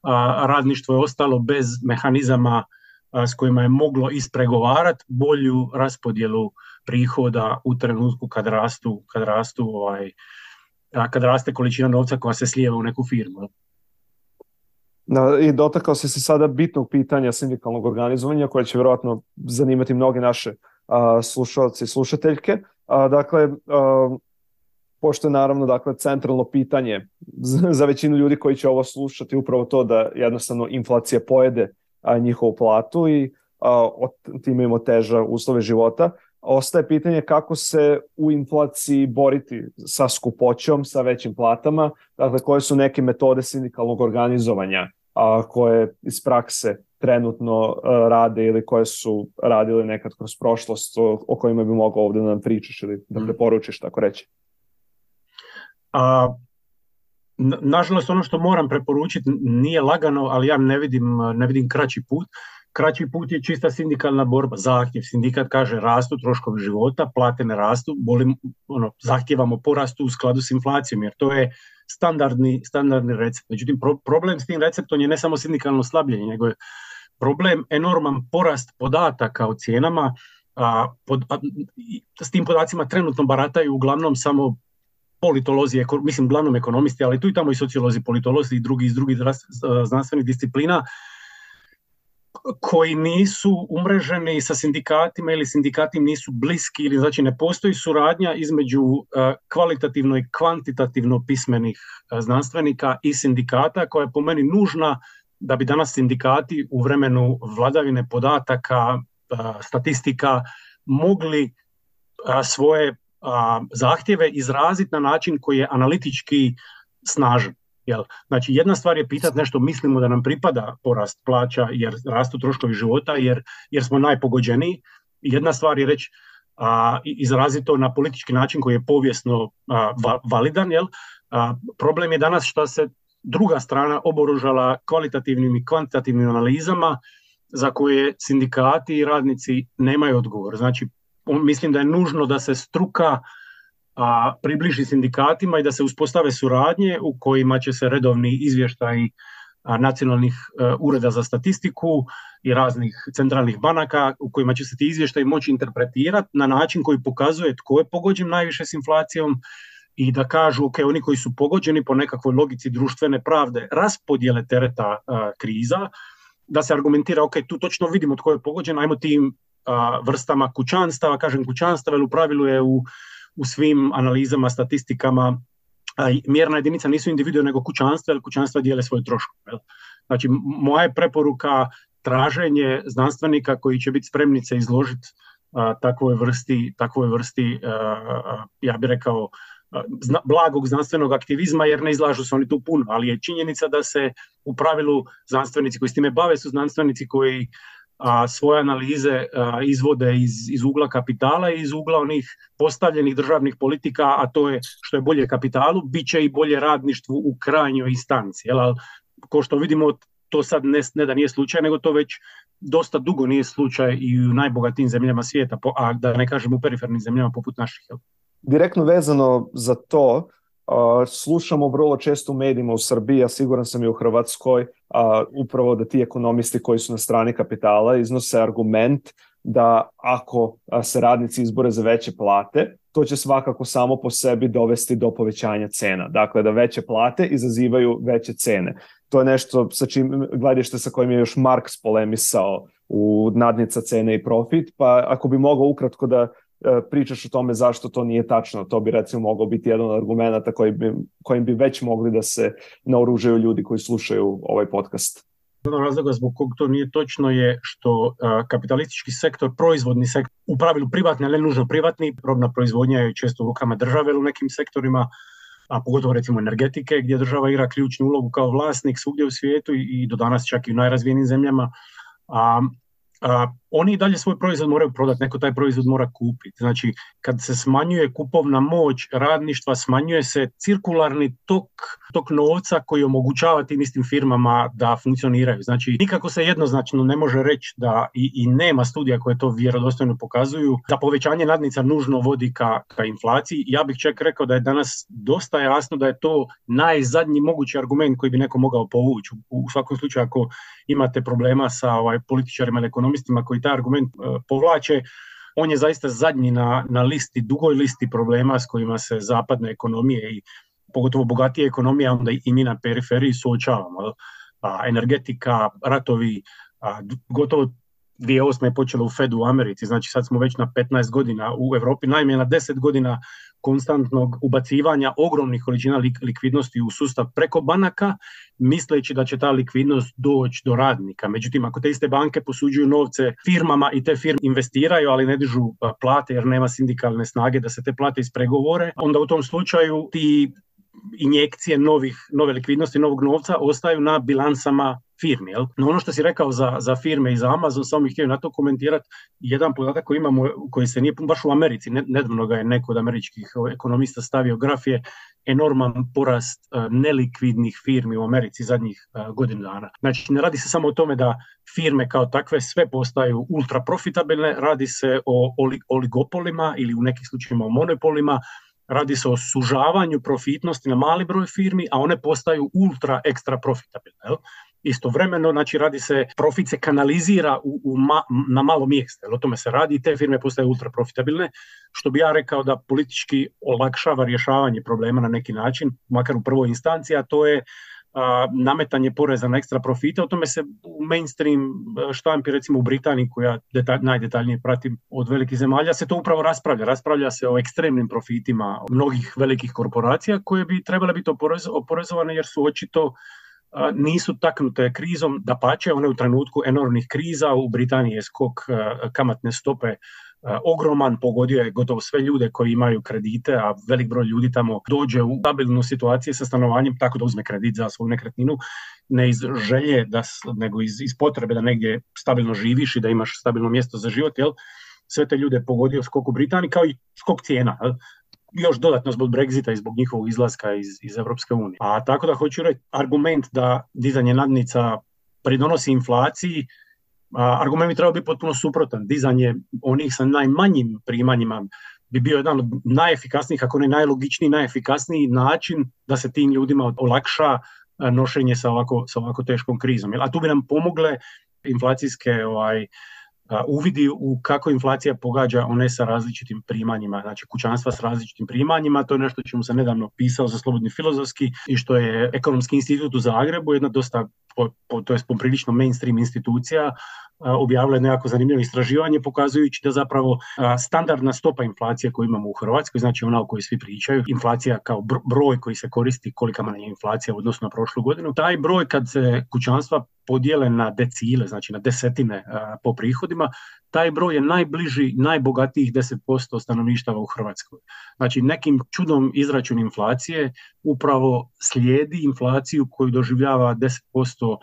a, radništvo je ostalo bez mehanizama a, s kojima je moglo ispregovarati bolju raspodjelu prihoda u trenutku kad rastu, kad rastu ovaj, a, kad raste količina novca koja se slijeva u neku firmu. Da, i dotakao se se sada bitnog pitanja sindikalnog organizovanja koje će vjerojatno zanimati mnoge naše a, slušalce i slušateljke. A, dakle, a, pošto je naravno dakle, centralno pitanje za, za većinu ljudi koji će ovo slušati upravo to da jednostavno inflacija pojede a, njihovu platu i a, time im oteža uslove života. Ostaje pitanje kako se u inflaciji boriti sa skupoćom, sa većim platama, dakle koje su neke metode sindikalnog organizovanja a, koje iz prakse trenutno a, rade ili koje su radile nekad kroz prošlost o, o kojima bi mogao ovdje da nam pričaš ili da preporučiš, tako reći. A, nažalost, ono što moram preporučiti nije lagano, ali ja ne vidim, ne vidim kraći put. Kraći put je čista sindikalna borba, zahtjev. Sindikat kaže rastu troškovi života, plate ne rastu, bolim, ono, zahtjevamo porastu u skladu s inflacijom, jer to je standardni, standardni recept. Međutim, pro, problem s tim receptom je ne samo sindikalno slabljenje, nego je problem enorman porast podataka o cijenama. A, pod, a, s tim podacima trenutno barataju uglavnom samo politolozi, eko, mislim uglavnom ekonomisti, ali tu i tamo i sociolozi, politolozi i drugi iz drugih znanstvenih disciplina, koji nisu umreženi sa sindikatima ili sindikati nisu bliski, ili znači ne postoji suradnja između uh, kvalitativno i kvantitativno pismenih uh, znanstvenika i sindikata, koja je po meni nužna da bi danas sindikati u vremenu vladavine podataka, uh, statistika mogli uh, svoje uh, zahtjeve izraziti na način koji je analitički snažan. Jel? Znači, jedna stvar je pitati nešto, mislimo da nam pripada porast plaća jer rastu troškovi života, jer, jer smo najpogođeniji. Jedna stvar je reći, a, izraziti to na politički način koji je povijesno a, va, validan. Jel? A, problem je danas što se druga strana oboružala kvalitativnim i kvantitativnim analizama za koje sindikati i radnici nemaju odgovor. Znači, on, mislim da je nužno da se struka a približi sindikatima i da se uspostave suradnje u kojima će se redovni izvještaji nacionalnih uh, ureda za statistiku i raznih centralnih banaka u kojima će se ti izvještaji moći interpretirati na način koji pokazuje tko je pogođen najviše s inflacijom i da kažu ok, oni koji su pogođeni po nekakvoj logici društvene pravde raspodjele tereta uh, kriza, da se argumentira ok, tu točno vidimo tko je pogođen, ajmo tim uh, vrstama kućanstava, kažem kućanstava, jer u pravilu je u u svim analizama, statistikama, a, mjerna jedinica nisu individue nego kućanstva, jer kućanstva dijele svoje troškove. Znači, moja je preporuka traženje znanstvenika koji će biti spremni se izložiti a, takvoj vrsti, takvoj vrsti a, ja bih rekao, a, zna, blagog znanstvenog aktivizma, jer ne izlažu se oni tu puno, ali je činjenica da se u pravilu znanstvenici koji s time bave su znanstvenici koji a svoje analize a, izvode iz, iz ugla kapitala i iz ugla onih postavljenih državnih politika, a to je što je bolje kapitalu, bit će i bolje radništvu u krajnjoj instanci. Jel? Ali, ko što vidimo, to sad ne, ne da nije slučaj, nego to već dosta dugo nije slučaj i u najbogatijim zemljama svijeta, a da ne kažem u perifernim zemljama poput naših. Jel? Direktno vezano za to, Uh, slušamo vrlo često u medijima u Srbiji, a siguran sam i u Hrvatskoj, uh, upravo da ti ekonomisti koji su na strani kapitala iznose argument da ako uh, se radnici izbore za veće plate, to će svakako samo po sebi dovesti do povećanja cena. Dakle, da veće plate izazivaju veće cene. To je nešto sa čim gledište sa kojim je još Marks polemisao u Nadnica cene i profit, pa ako bi mogao ukratko da pričaš o tome zašto to nije tačno, to bi recimo mogao biti jedan od argumenta koji bi, kojim bi već mogli da se naoružaju ljudi koji slušaju ovaj podcast. Jedan razloga zbog kog to nije točno je što a, kapitalistički sektor, proizvodni sektor, u pravilu privatni, ali ne nužno privatni, robna proizvodnja je često u rukama države u nekim sektorima, a pogotovo recimo energetike, gdje država igra ključnu ulogu kao vlasnik svugdje u svijetu i, i do danas čak i u najrazvijenim zemljama. A, a, oni dalje svoj proizvod moraju prodati, neko taj proizvod mora kupiti. Znači, kad se smanjuje kupovna moć radništva, smanjuje se cirkularni tok, tok novca koji omogućava tim istim firmama da funkcioniraju. Znači, nikako se jednoznačno ne može reći da i, i nema studija koje to vjerodostojno pokazuju, da povećanje nadnica nužno vodi ka, ka inflaciji. Ja bih čak rekao da je danas dosta jasno da je to najzadnji mogući argument koji bi neko mogao povući. U, u svakom slučaju, ako imate problema sa ovaj, političarima ili ekonomistima koji taj argument uh, povlače, on je zaista zadnji na, na listi, dugoj listi problema s kojima se zapadne ekonomije i pogotovo bogatije ekonomije, onda i mi na periferiji suočavamo. A, energetika, ratovi, a, gotovo dvije tisuće osme je počelo u Fedu u Americi, znači sad smo već na petnaest godina u Europi, najmanje na deset godina konstantnog ubacivanja ogromnih količina likvidnosti u sustav preko banaka, misleći da će ta likvidnost doći do radnika. Međutim, ako te iste banke posuđuju novce firmama i te firme investiraju, ali ne dižu plate jer nema sindikalne snage da se te plate ispregovore, onda u tom slučaju ti injekcije novih, nove likvidnosti, novog novca ostaju na bilansama firmi. Jel? No ono što si rekao za, za firme i za Amazon, samo bih htio na to komentirati jedan podatak koji imamo, koji se nije baš u Americi, nedavno ga je neko od američkih ekonomista stavio graf, je enorman porast uh, nelikvidnih firmi u Americi zadnjih uh, godinu dana. Znači, ne radi se samo o tome da firme kao takve sve postaju ultra profitabilne, radi se o oligopolima ili u nekih slučajevima o monopolima. Radi se o sužavanju profitnosti na mali broj firmi, a one postaju ultra ekstra profitabilne. Jel? Istovremeno, znači, radi se, profit se kanalizira u, u ma, na malo mjesta. Jel? O tome se radi i te firme postaju ultra profitabilne, što bi ja rekao da politički olakšava rješavanje problema na neki način, makar u prvoj instanciji, a to je a, nametanje poreza na ekstra profite. O tome se u mainstream štampi, recimo u Britaniji, koja detalj, najdetaljnije pratim od velikih zemalja, se to upravo raspravlja. Raspravlja se o ekstremnim profitima mnogih velikih korporacija koje bi trebale biti oporez, oporezovane jer su očito a, nisu taknute krizom, dapače, one u trenutku enormnih kriza. U Britaniji je skok a, kamatne stope ogroman, pogodio je gotovo sve ljude koji imaju kredite, a velik broj ljudi tamo dođe u stabilnu situaciju sa stanovanjem tako da uzme kredit za svoju nekretninu, ne iz želje, da, nego iz, iz potrebe da negdje stabilno živiš i da imaš stabilno mjesto za život. Jel? Sve te ljude pogodio skok u Britaniji kao i skok cijena. Jel? Još dodatno zbog Brexita i zbog njihovog izlaska iz, iz Europske unije. A tako da hoću reći, argument da dizanje nadnica pridonosi inflaciji, argument bi trebao biti potpuno suprotan. Dizanje onih sa najmanjim primanjima bi bio jedan od najefikasnijih, ako ne najlogičniji, najefikasniji način da se tim ljudima olakša nošenje sa ovako, sa ovako teškom krizom. A tu bi nam pomogle inflacijske ovaj, uvidi u kako inflacija pogađa one sa različitim primanjima, znači kućanstva s različitim primanjima. To je nešto čemu sam nedavno pisao za Slobodni filozofski i što je Ekonomski institut u Zagrebu, jedna dosta, po, po, to je poprilično mainstream institucija, objavila je nekako zanimljivo istraživanje pokazujući da zapravo standardna stopa inflacije koju imamo u Hrvatskoj, znači ona o kojoj svi pričaju, inflacija kao broj koji se koristi, kolika nam je inflacija u odnosu na prošlu godinu, taj broj kad se kućanstva podijele na decile, znači na desetine po prihodima, taj broj je najbliži najbogatijih deset posto stanovništava u Hrvatskoj. Znači nekim čudom izračun inflacije upravo slijedi inflaciju koju doživljava deset posto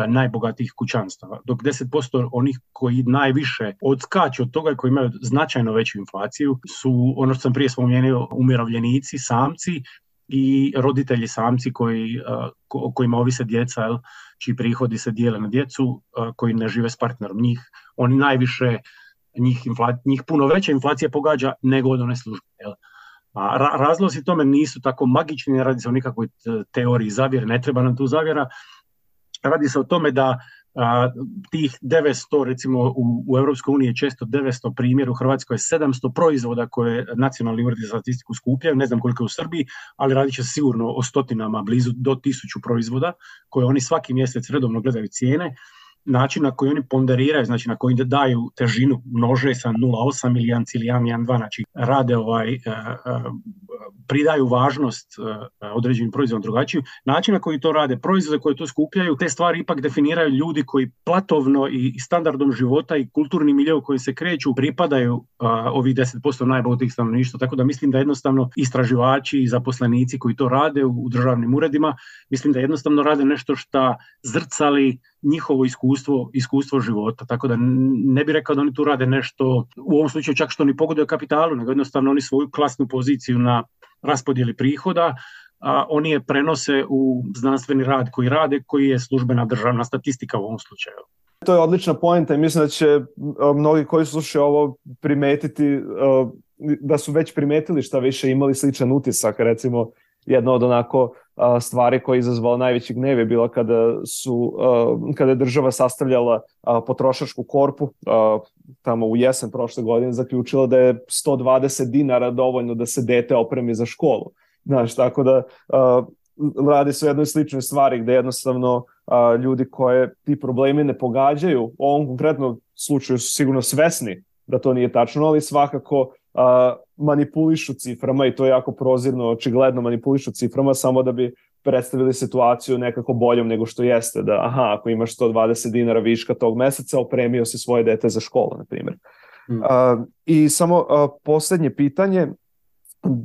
najbogatijih kućanstava, dok deset posto onih koji najviše odskaču od toga i koji imaju značajno veću inflaciju su, ono što sam prije spomenuo, umirovljenici, samci i roditelji samci koji, ko, kojima ovise djeca, jel, čiji prihodi se dijele na djecu, koji ne žive s partnerom. Njih, oni najviše, njih, infla, njih puno veća inflacija pogađa nego od one službe. Jel. A ra, razlozi tome nisu tako magični, ne radi se o nikakvoj teoriji zavjere, ne treba nam tu zavjera. Radi se o tome da a, tih devetsto, recimo u, u Europskoj uniji je često devetsto, primjer u Hrvatskoj je sedamsto proizvoda koje nacionalni uredi za statistiku skupljaju, ne znam koliko je u Srbiji, ali radit će se sigurno o stotinama, blizu do tisuću proizvoda koje oni svaki mjesec redovno gledaju cijene. Način na koji oni ponderiraju, znači na koji daju težinu, množe sa nula zarez osam ili jedan zarez jedan, jedan zarez dva, znači rade ovaj, uh, uh, pridaju važnost uh, određenim proizvodom drugačiju. Način na koji to rade, proizvode koje to skupljaju, te stvari ipak definiraju ljudi koji platovno i standardom života i kulturni miljeu koji se kreću pripadaju uh, ovih deset posto najbogatijih stanovništva. Tako da mislim da jednostavno istraživači i zaposlenici koji to rade u, u državnim uredima, mislim da jednostavno rade nešto što zrcali njihovo iskustvo, iskustvo života. Tako da ne bih rekao da oni tu rade nešto, u ovom slučaju čak što ni pogoduje kapitalu, nego jednostavno oni svoju klasnu poziciju na raspodjeli prihoda, a oni je prenose u znanstveni rad koji rade, koji je službena državna statistika u ovom slučaju. To je odlična poenta i mislim da će mnogi koji slušaju ovo primetiti, da su već primetili šta više, imali sličan utisak. Recimo, jedna od onako stvari koja je izazvala najveći gnev je bila kada, su, kada je država sastavljala potrošačku korpu, tamo u jesen prošle godine zaključila da je sto dvadeset dinara dovoljno da se dete opremi za školu. Znaš, tako da radi se o jednoj sličnoj stvari gde jednostavno a, ljudi koje ti problemi ne pogađaju, u ovom konkretnom slučaju su sigurno svesni da to nije tačno, ali svakako a, manipulišu ciframa i to je jako prozirno, očigledno manipulišu ciframa samo da bi predstavili situaciju nekako boljom nego što jeste, da aha, ako imaš sto dvadeset dinara viška tog meseca, opremio si svoje dete za školu, na primjer. Mm. A, I samo a, posljednje pitanje,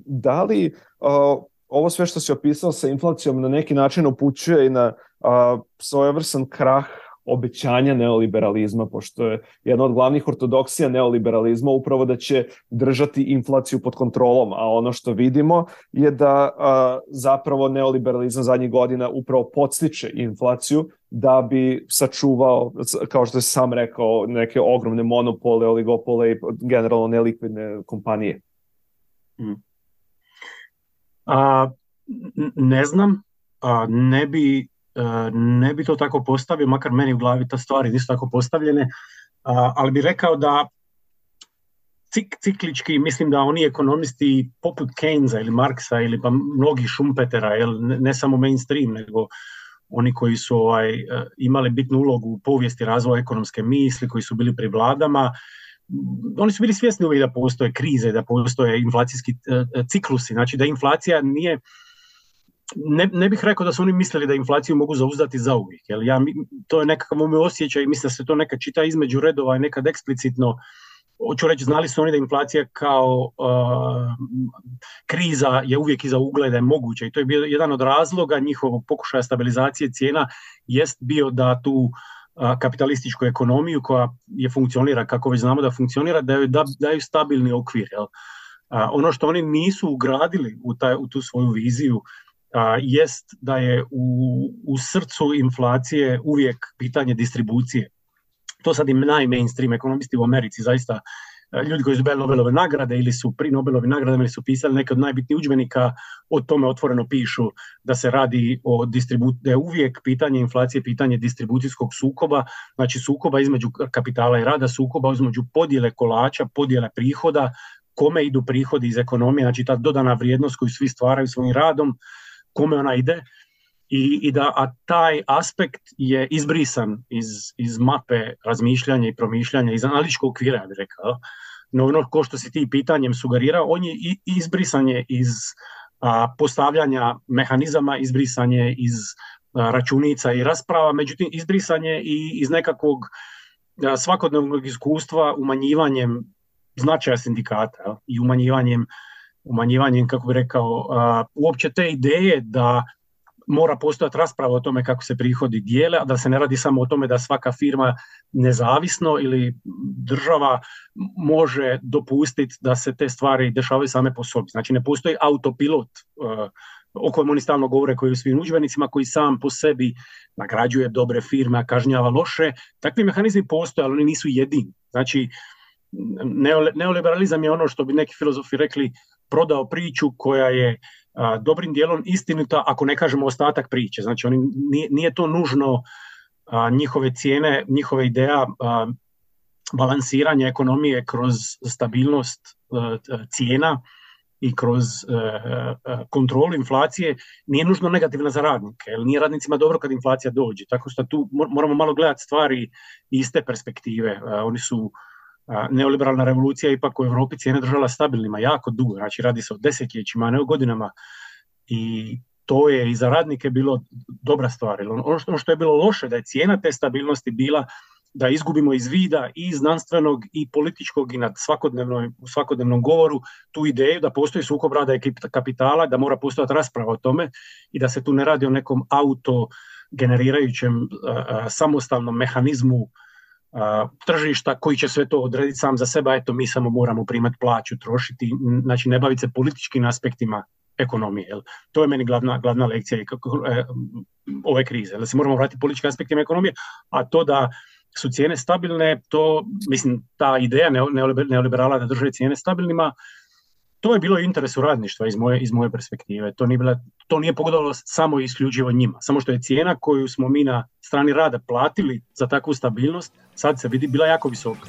da li a, ovo sve što si opisao sa inflacijom na neki način upućuje i na a, svojevrsan krah obećanja neoliberalizma, pošto je jedna od glavnih ortodoksija neoliberalizma upravo da će držati inflaciju pod kontrolom, a ono što vidimo je da a, zapravo neoliberalizam zadnjih godina upravo podstiče inflaciju da bi sačuvao, kao što je sam rekao, neke ogromne monopole, oligopole i generalno nelikvidne kompanije. Mm. A, ne znam, a, ne bi ne bi to tako postavio, makar meni u glavi ta stvari nisu tako postavljene, a, ali bi rekao da cik, ciklički, mislim da oni ekonomisti poput Keynesa ili Marksa ili pa mnogi Schumpetera, jel, ne, ne samo mainstream, nego oni koji su ovaj, imali bitnu ulogu u povijesti razvoja ekonomske misli, koji su bili pri vladama, oni su bili svjesni uvijek da postoje krize, da postoje inflacijski ciklusi, znači da inflacija nije. Ne, ne bih rekao da su oni mislili da inflaciju mogu zauzdati zauvijek. Jer ja, to je nekakav moj osjećaj i mislim da se to nekad čita između redova i nekad eksplicitno. Hoću reći, znali su oni da inflacija kao uh, kriza je uvijek iza ugla, da je moguća. I to je bio jedan od razloga njihovog pokušaja stabilizacije cijena, jest bio da tu uh, kapitalističku ekonomiju koja je funkcionira, kako već znamo da funkcionira, daju, da, daju stabilni okvir. Jel? Uh, ono što oni nisu ugradili u, taj, u tu svoju viziju A, jest da je u, u srcu inflacije uvijek pitanje distribucije. To sad i najmainstream ekonomisti u Americi, zaista ljudi koji su dobili Nobelove nagrade ili su pri Nobelovim nagradama ili su pisali neke od najbitnijih udžbenika, o tome otvoreno pišu da se radi o distribuciji, da je uvijek pitanje inflacije pitanje distribucijskog sukoba, znači sukoba između kapitala i rada, sukoba između podjele kolača, podjele prihoda, kome idu prihodi iz ekonomije, znači ta dodana vrijednost koju svi stvaraju svojim radom, kome ona ide i, i da a taj aspekt je izbrisan iz, iz mape razmišljanja i promišljanja, iz analitičkog okvira, ja bih rekao. No ono ko što si ti pitanjem sugerirao, on je i, izbrisan je iz a, postavljanja mehanizama, izbrisan je iz a, računica i rasprava, međutim izbrisan je i iz nekakvog a, svakodnevnog iskustva umanjivanjem značaja sindikata, a, i umanjivanjem umanjivanjem, kako bih rekao, uh, uopće te ideje da mora postojati rasprava o tome kako se prihodi dijele, a da se ne radi samo o tome da svaka firma nezavisno ili država može dopustiti da se te stvari dešavaju same po sobi. Znači ne postoji autopilot uh, o kojem oni stalno govore, koji u svim udžbenicima, koji sam po sebi nagrađuje dobre firme, a kažnjava loše. Takvi mehanizmi postoje, ali oni nisu jedini. Znači neoliberalizam je ono što bi neki filozofi rekli prodao priču koja je a, dobrim dijelom istinita, ako ne kažemo ostatak priče. Znači oni, nije, nije to nužno a, njihove cijene, njihove ideja a, balansiranja ekonomije kroz stabilnost a, cijena i kroz a, a, kontrolu inflacije nije nužno negativna za radnike. Jer nije radnicima dobro kad inflacija dođe. Tako što tu moramo malo gledati stvari iz te perspektive. A, oni su neoliberalna revolucija ipak u Europi cijene držala stabilnima jako dugo, znači radi se o desetljećima, a ne o godinama, i to je i za radnike bilo dobra stvar. Ono što, ono što je bilo loše, da je cijena te stabilnosti bila da izgubimo iz vida i znanstvenog i političkog i na u svakodnevnom govoru tu ideju da postoji sukob rada i kapitala, da mora postojati rasprava o tome i da se tu ne radi o nekom auto generirajućem samostalnom mehanizmu tržišta koji će sve to odrediti sam za sebe, a eto mi samo moramo primati plaću, trošiti, znači ne baviti se političkim aspektima ekonomije. Jel? To je meni glavna, glavna lekcija ove krize. Jel? Da se moramo vratiti političkim aspektima ekonomije, a to da su cijene stabilne, to, mislim, ta ideja neoliberala da drže cijene stabilnima, to je bilo interesu radništva iz moje, iz moje perspektive. To nije, bila, to nije pogodalo samo i isključivo njima. Samo što je cijena koju smo mi na strani rada platili za takvu stabilnost, sad se vidi, bila jako visoka.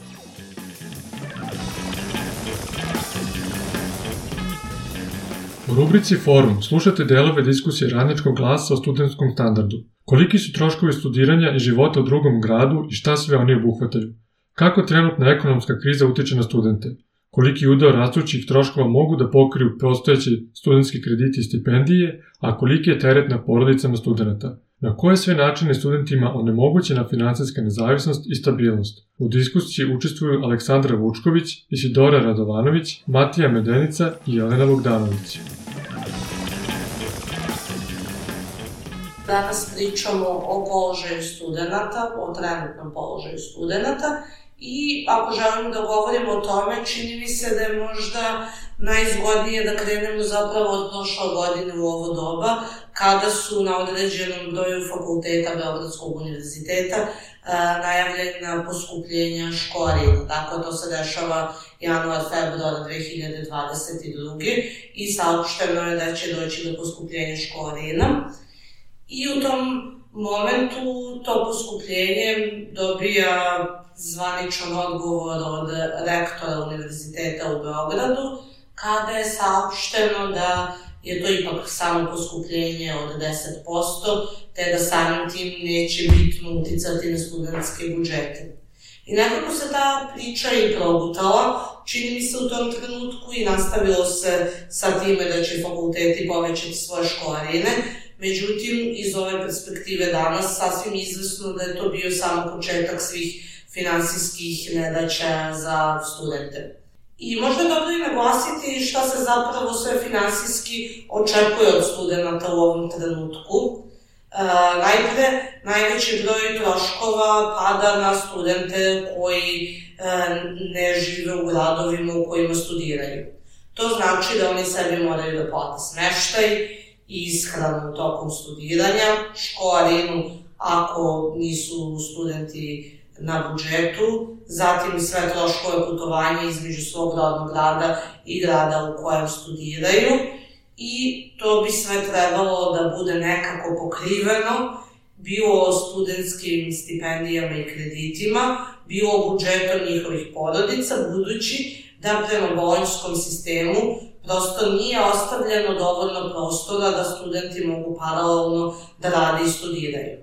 U rubrici Forum slušate delove diskusije Radničkog glasa o studentskom standardu. Koliki su troškovi studiranja i života u drugom gradu i šta sve oni obuhvataju? Kako trenutna ekonomska kriza utiče na studente? Koliki udeo rastućih troškova mogu da pokriju postojeći studentski krediti i stipendije, a koliki je teret na porodicama studenta? Na koje sve načine studentima onemogućena finansijska nezavisnost i stabilnost? U diskusiji učestvuju Aleksandra Vučković, Isidora Radovanović, Matija Medenica i Jelena Bogdanović. Danas pričamo o položaju studenta, o trenutnom položaju studenta. I ako želimo da govorimo o tome, čini mi se da je možda najzgodnije da krenemo zapravo od prošle godine u ovo doba, kada su na određenom broju fakulteta Beogradskog univerziteta najavljena poskupljenja školarina. Dakle, to se dešava januar februar dve hiljade dvadeset druge. i saopšteno je da će doći do poskupljenja školarina. I u tom momentu to poskupljenje dobija zvaničan odgovor od rektora Univerziteta u Beogradu, kada je saopšteno da je to ipak samo poskupljenje od deset posto, te da samim tim neće bitno uticati na studentske budžete. I nekako se ta priča i progutala, čini mi se u tom trenutku, i nastavilo se sa time da će fakulteti povećati svoje školarine. Međutim, iz ove perspektive danas sasvim izvesno da je to bio samo početak svih finansijskih nedaća za studente. I možda je dobro i naglasiti šta se zapravo sve finansijski očekuje od studenta u ovom trenutku. E, najpre, najveći broj troškova pada na studente koji e, ne žive u gradovima u kojima studiraju. To znači da oni sebi moraju da plate smeštaj i ishranu tokom studiranja, školarinu ako nisu studenti na budžetu, zatim sve troškove putovanja između svog rodnog grada i grada u kojem studiraju, i to bi sve trebalo da bude nekako pokriveno, bilo studentskim stipendijama i kreditima, bilo budžetom njihovih porodica, budući da prema bolonjskom sistemu prosto nije ostavljeno dovoljno prostora da studenti mogu paralelno da rade i studiraju.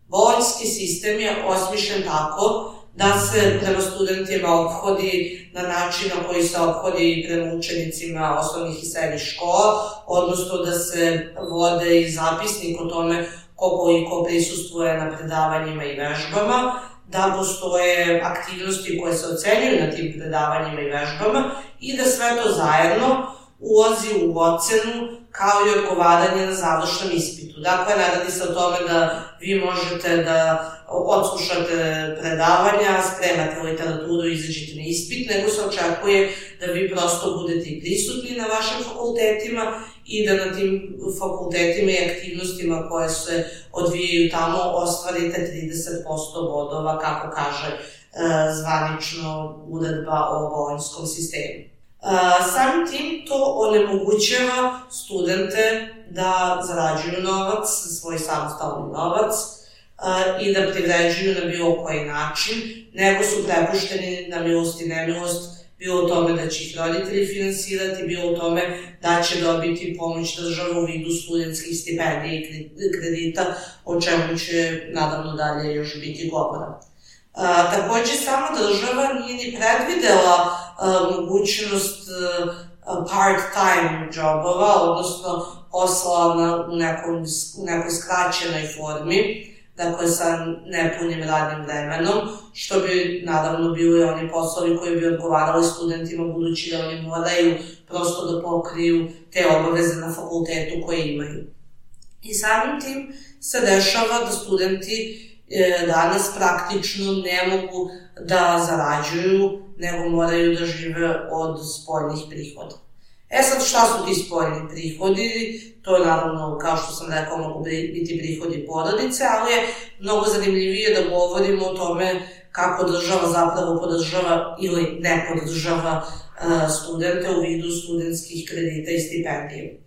Bolonjski sistem je osmišljen tako da se prema studentima ophodi na način na koji se ophodi prema učenicima osnovnih i srednjih škola, odnosno da se vode i zapisnik o tome ko koliko prisustvuje na predavanjima i vežbama, da postoje aktivnosti koje se ocenjuju na tim predavanjima i vežbama i da sve to zajedno ulazi u ocenu kao i odgovaranje na završnom ispitu. Dakle, ne radi se o tome da vi možete da odslušate predavanja, spremate literaturu i izađete na ispit, nego se očekuje da vi prosto budete i prisutni na vašim fakultetima i da na tim fakultetima i aktivnostima koje se odvijaju tamo ostvarite trideset posto bodova, kako kaže e, zvanično uredba o bolonjskom sistemu. Uh, samim tim to onemogućava studente da zarađuju novac, svoj samostalni novac, uh, i da privređuju na bilo koji način, nego su prepušteni na milost i nemilost, bilo u tome da će ih roditelji finansirati, bilo u tome da će dobiti pomoć države u vidu studentskih stipendija i kredita, o čemu će nadavno dalje još biti govora. Uh, takođe, sama država nije ni predvidela uh, mogućnost uh, part-time jobova, odnosno posla na, u, nekom, u nekoj skraćenoj formi, dakle sa nepunim radnim vremenom, što bi naravno bili oni poslovi koji bi odgovarali studentima, budući da oni moraju prosto da pokriju te obaveze na fakultetu koje imaju. I samim tim se dešava da studenti danas praktično ne mogu da zarađuju, nego moraju da žive od spoljnih prihoda. E sad, šta su ti spoljni prihodi? To je naravno, kao što sam rekao, mogu biti prihodi porodice, ali je mnogo zanimljivije da govorimo o tome kako država zapravo podržava ili ne podržava studente u vidu studentskih kredita i stipendije.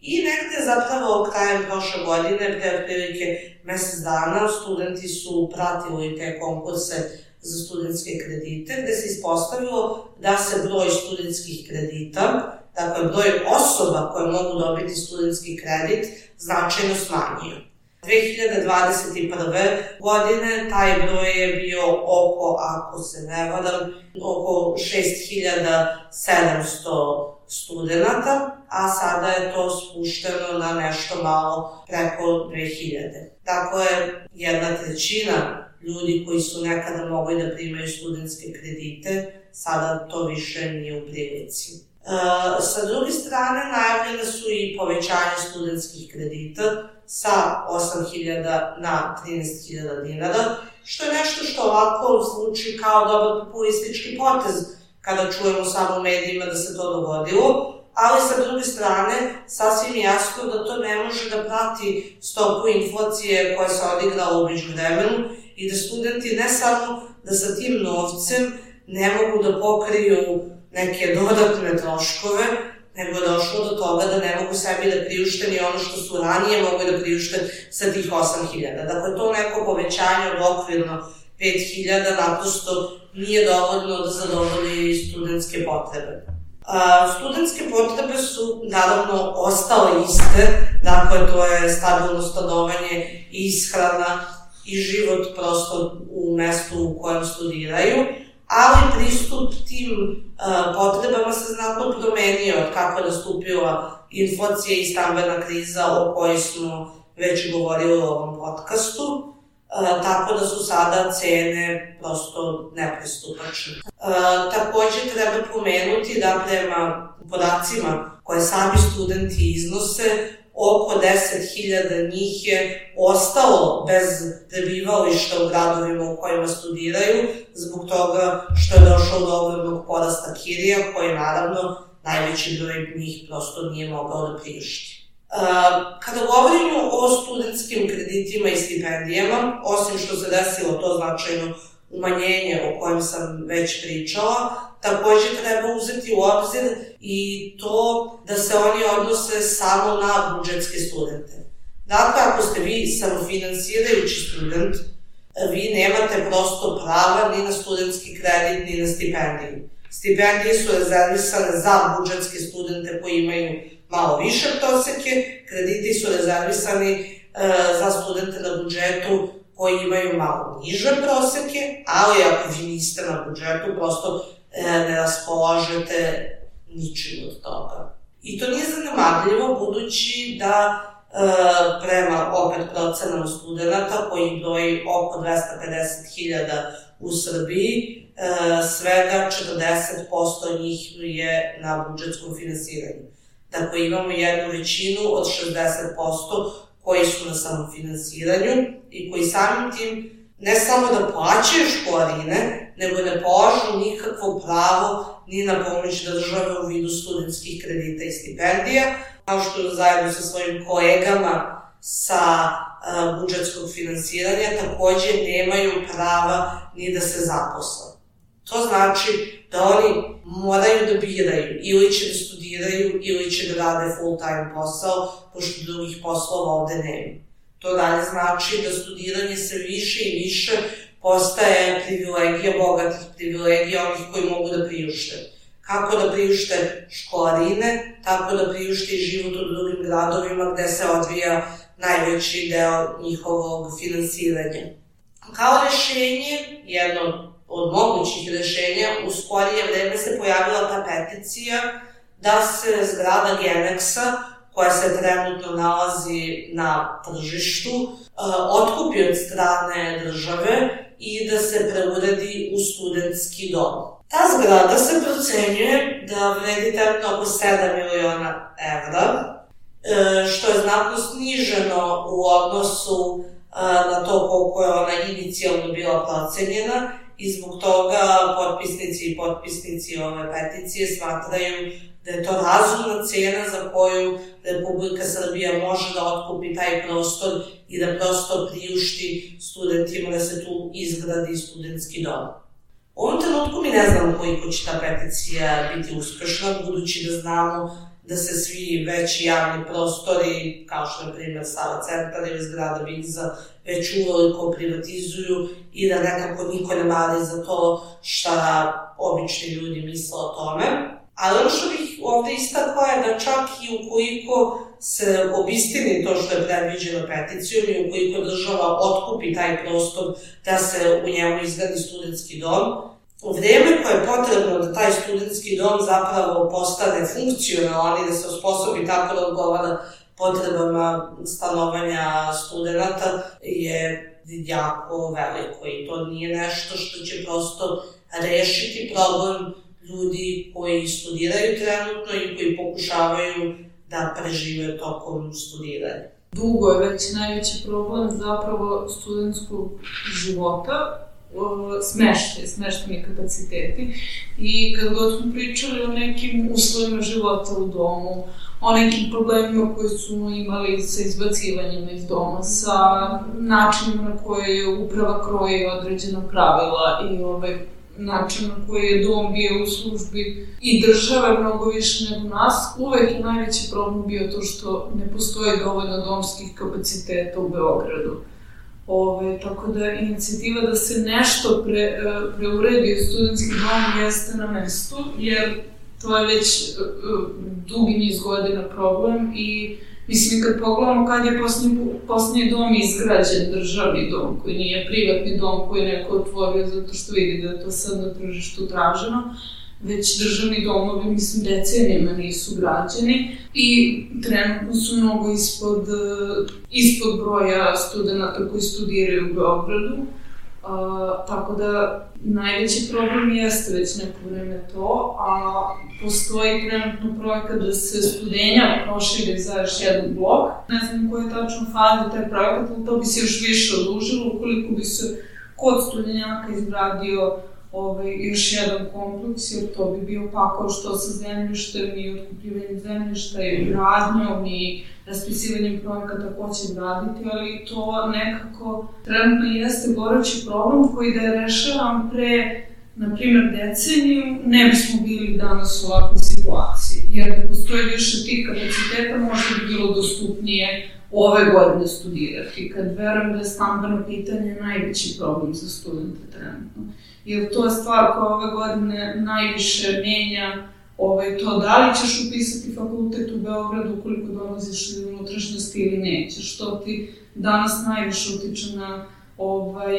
I negde zapravo krajem prošle godine, pre otprilike mesec dana, studenti su pratili te konkurse za studentske kredite, gde se ispostavilo da se broj studentskih kredita, dakle broj osoba koje mogu dobiti studentski kredit, značajno smanjio. dve hiljade dvadeset prve. godine taj broj je bio oko, ako se ne varam, oko šest hiljada sedamsto studenta, a sada je to spušteno na nešto malo preko dve hiljade. Dakle, jedna trećina ljudi koji su nekada mogli da primaju studentske kredite, sada to više nije u prilici. E, sa druge strane, najavljene su i povećanje studentskih kredita sa osam hiljada na trinaest hiljada dinara, što je nešto što ovako zvuči kao dobar populistički potez kada čujemo samo u medijima da se to dogodilo, ali sa druge strane, sasvim jasno da to ne može da prati stopu inflacije koja se odigrala u međuvremenu i da studenti ne samo da sa tim novcem ne mogu da pokriju neke dodatne troškove, nego je došlo do toga da ne mogu sebi da priušte ni ono što su ranije mogli da priušte sa tih osam hiljada. Dakle, to neko povećanje od okvirno pet hiljada naprosto nije dovoljno da zadovolji studentske potrebe. Studentske potrebe su naravno ostale iste, dakle to je stabilno stanovanje, ishrana i život prosto u mestu u kojem studiraju, ali pristup tim potrebama se znatno promenio od kako je nastupila inflacija i stambena kriza o kojoj smo već govorili u ovom podcastu, tako da su sada cene prosto nepristupačne. Takođe treba pomenuti da prema podacima koje sami studenti iznose, oko deset hiljada njih je ostalo bez prebivališta u gradovima u kojima studiraju, zbog toga što je došlo do ogromnog porasta kirija, koje naravno najveći broj njih prosto nije mogao da priušti. Kada govorimo o studentskim kreditima i stipendijama, osim što se desilo to značajno umanjenje o kojem sam već pričala, takođe treba uzeti u obzir i to da se oni odnose samo na budžetske studente. Dakle, ako ste vi samofinansirajući student, vi nemate prosto prava ni na studentski kredit, ni na stipendiju. Stipendije su rezervisane za budžetske studente koji imaju malo više proseke, krediti su rezervisani e, za studente na budžetu koji imaju malo niže proseke, ali ako vi niste na budžetu, prosto e, ne raspolažete ničim od toga. I to nije zanemarljivo, budući da e, prema opet procenama studenta, koji broji oko dvesta pedeset hiljada u Srbiji, e, svega četrdeset posto njih je na budžetskom finansiranju. Dakle, imamo jednu većinu od šezdeset posto koji su na samofinansiranju i koji samim tim ne samo da plaćaju školarine, nego ne polažu nikakvo pravo ni na pomoć države u vidu studentskih kredita i stipendija, kao što zajedno sa svojim kolegama sa uh, budžetskog finansiranja takođe nemaju prava ni da se zaposle. To znači da oni moraju da biraju, ili će da studiraju, ili će da rade full-time posao, pošto drugih poslova ovde nema. To dalje znači da studiranje se više i više postaje privilegija bogatih, privilegija onih koji mogu da priušte. Kako da priušte školarine, tako da priušte i život u drugim gradovima gde se odvija najveći deo njihovog finansiranja. Kao rešenje, jedno od mogućih rešenja, u skorije vreme se pojavila ta peticija da se zgrada Geneksa, koja se trenutno nalazi na tržištu, otkupi od strane države i da se preuredi u studentski dom. Ta zgrada se procenjuje da vredi trenutno oko sedam miliona evra što je znatno sniženo u odnosu na to koliko je ona inicijalno bila procenjena i zbog toga potpisnici i potpisnici ove peticije smatraju da je to razumna cena za koju Republika Srbija može da otkupi taj prostor i da prosto priušti studentima da se tu izgradi studentski dom. U ovom trenutku mi ne znamo koliko će ta peticija biti uspešna, budući da znamo da se svi veći javni prostori, kao što je primjer Sava centar ili zgrada Bigza, već uveliko privatizuju i da nekako niko ne mari za to šta obični ljudi misle o tome. Ali ono što bih ovde istakla je da čak i ukoliko se obistini to što je predviđeno peticijom i ukoliko država otkupi taj prostor da se u njemu izgradi studentski dom, u vreme koje je potrebno da taj studentski dom zapravo postane funkcionalan i da se osposobi tako da odgovara potrebama stanovanja studenta je jako veliko i to nije nešto što će prosto rešiti problem ljudi koji studiraju trenutno i koji pokušavaju da prežive tokom studiranja. Dugo je već najveći problem zapravo studentskog života, smeštaj, smeštajni kapaciteti i kad god smo pričali o nekim uslovima života u domu, o nekim problemima koje smo imali sa izbacivanjima iz doma, sa načinima na koje je uprava kroji određena pravila i ovaj način na koji je dom bio u službi i države mnogo više nego nas, uvek je najveći problem bio to što ne postoji dovoljno domskih kapaciteta u Beogradu. Ove, tako da inicijativa da se nešto pre, preuredi u studentski dom jeste na mestu, jer to je već dugi niz godina problem i mislim kad pogledamo kad je posljednji dom izgrađen, državni dom, koji nije privatni dom koji je neko otvorio zato što vidi da je to sad na tržištu traženo, već državni domovi, mislim, decenijama nisu građeni i trenutno su mnogo ispod, ispod broja studenta koji studiraju u Beogradu. Uh, tako da najveći problem jeste već neko vreme to, a postoji trenutno projekat da se Studenjak proširi za još jedan blok. Ne znam koji je tačno fazi taj projekat, ali to bi se još više odužilo ukoliko bi se kod Studenjaka izgradio ovaj, još jedan kompleks, jer to bi bio pakao što sa zemljištem i otkupljivanjem zemljišta i gradnjom i raspisivanjem projekata ko će graditi, ali to nekako trenutno jeste gorući problem koji da je rešavan pre, na primjer, deceniju, ne bismo bili danas u ovakvoj situaciji. Jer da postoji više tih kapaciteta, možda bi bilo dostupnije ove godine studirati, kad verujem da je stambeno pitanje najveći problem za studente trenutno. Jer to je stvar koja ove godine najviše menja ovaj, to da li ćeš upisati fakultet u Beogradu ukoliko dolaziš iz unutrašnjosti ili nećeš. To ti danas najviše utiče na ovaj,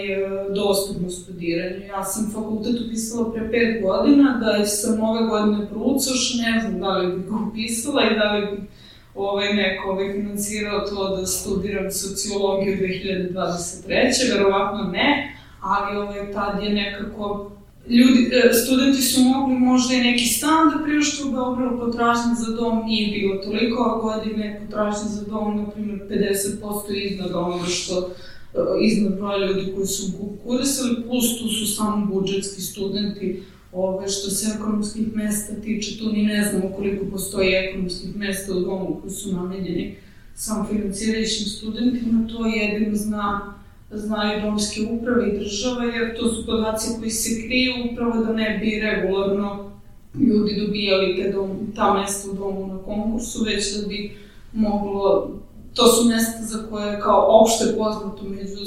dostupno studiranje. Ja sam fakultet upisala pre pet godina, da sam ove godine proucaš, ne znam da li bih ga upisala i da li bih ovaj, neko ovaj, financirao to da studiram sociologiju dve hiljade dvadeset treće. Verovatno ne. Ali ovaj, tad je nekako, ljudi, studenti su mogli možda i neki stan da priušte u Beogradu, potražnja za dom nije bilo toliko, a godine potražnja za dom, na primjer, pedeset posto iznad onoga što, iznad broja ljudi koji su konkurisali, plus tu su samo budžetski studenti, ovaj, što se ekonomskih mesta tiče, tu ni ne znamo koliko postoji ekonomskih mesta u domu koji su namenjeni samofinancirajućim studentima, to jedino zna znaju domske uprave i države, jer to su podaci koji se kriju upravo da ne bi regularno ljudi dobijali te dom, ta mesta u domu na konkursu, već da bi moglo, to su mesta za koje je kao opšte poznato među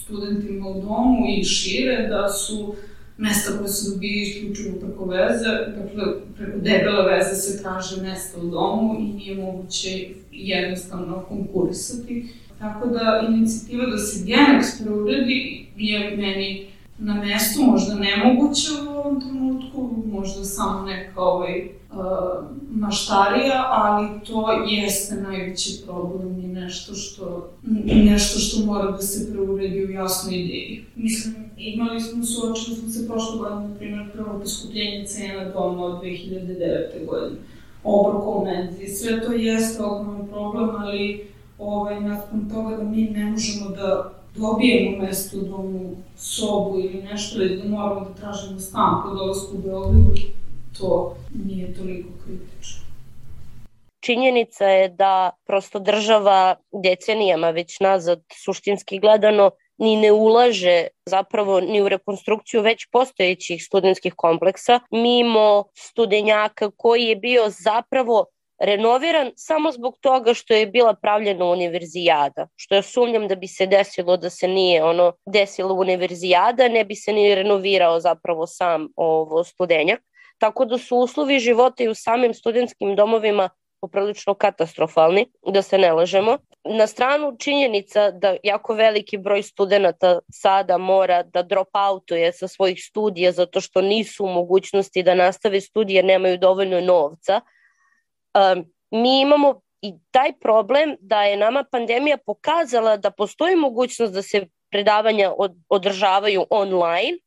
studentima u domu i šire, da su mesta koje se dobije isključivo preko veze, dakle preko debele veze se traže mesta u domu i nije moguće jednostavno konkurisati. Tako da inicijativa da se Genex preuredi je meni na mestu, možda nemoguće u ovom trenutku, možda samo neka ovaj, uh, maštarija, ali to jeste najveći problem i nešto što, nešto što mora da se preuredi u jasnoj ideji. Mislim, imali smo, suočili smo se prošle godine, na primjer, prvo poskupljenje cena doma od dve hiljade devete godine. obroka u menzi. Sve to jeste ogroman problem, ali ovaj, nakon toga da mi ne možemo da dobijemo mesto u domu, sobu ili nešto, ili da moramo da tražimo stan po dolasku u Beogradu, to nije toliko kritično. Činjenica je da prosto država decenijama već nazad, suštinski gledano, ni ne ulaže zapravo ni u rekonstrukciju već postojećih studentskih kompleksa, mimo studenjaka koji je bio zapravo renoviran samo zbog toga što je bila pravljena univerzijada, što ja sumnjam da bi se desilo da se nije ono desilo univerzijada, ne bi se ni renovirao zapravo sam ovo studenjak. Tako da su uslovi života i u samim studentskim domovima poprilično katastrofalni, da se ne lažemo. Na stranu činjenica da jako veliki broj studenta sada mora da drop outuje sa svojih studija zato što nisu u mogućnosti da nastave studije, nemaju dovoljno novca. Um, mi imamo i taj problem da je nama pandemija pokazala da postoji mogućnost da se predavanja od, održavaju online,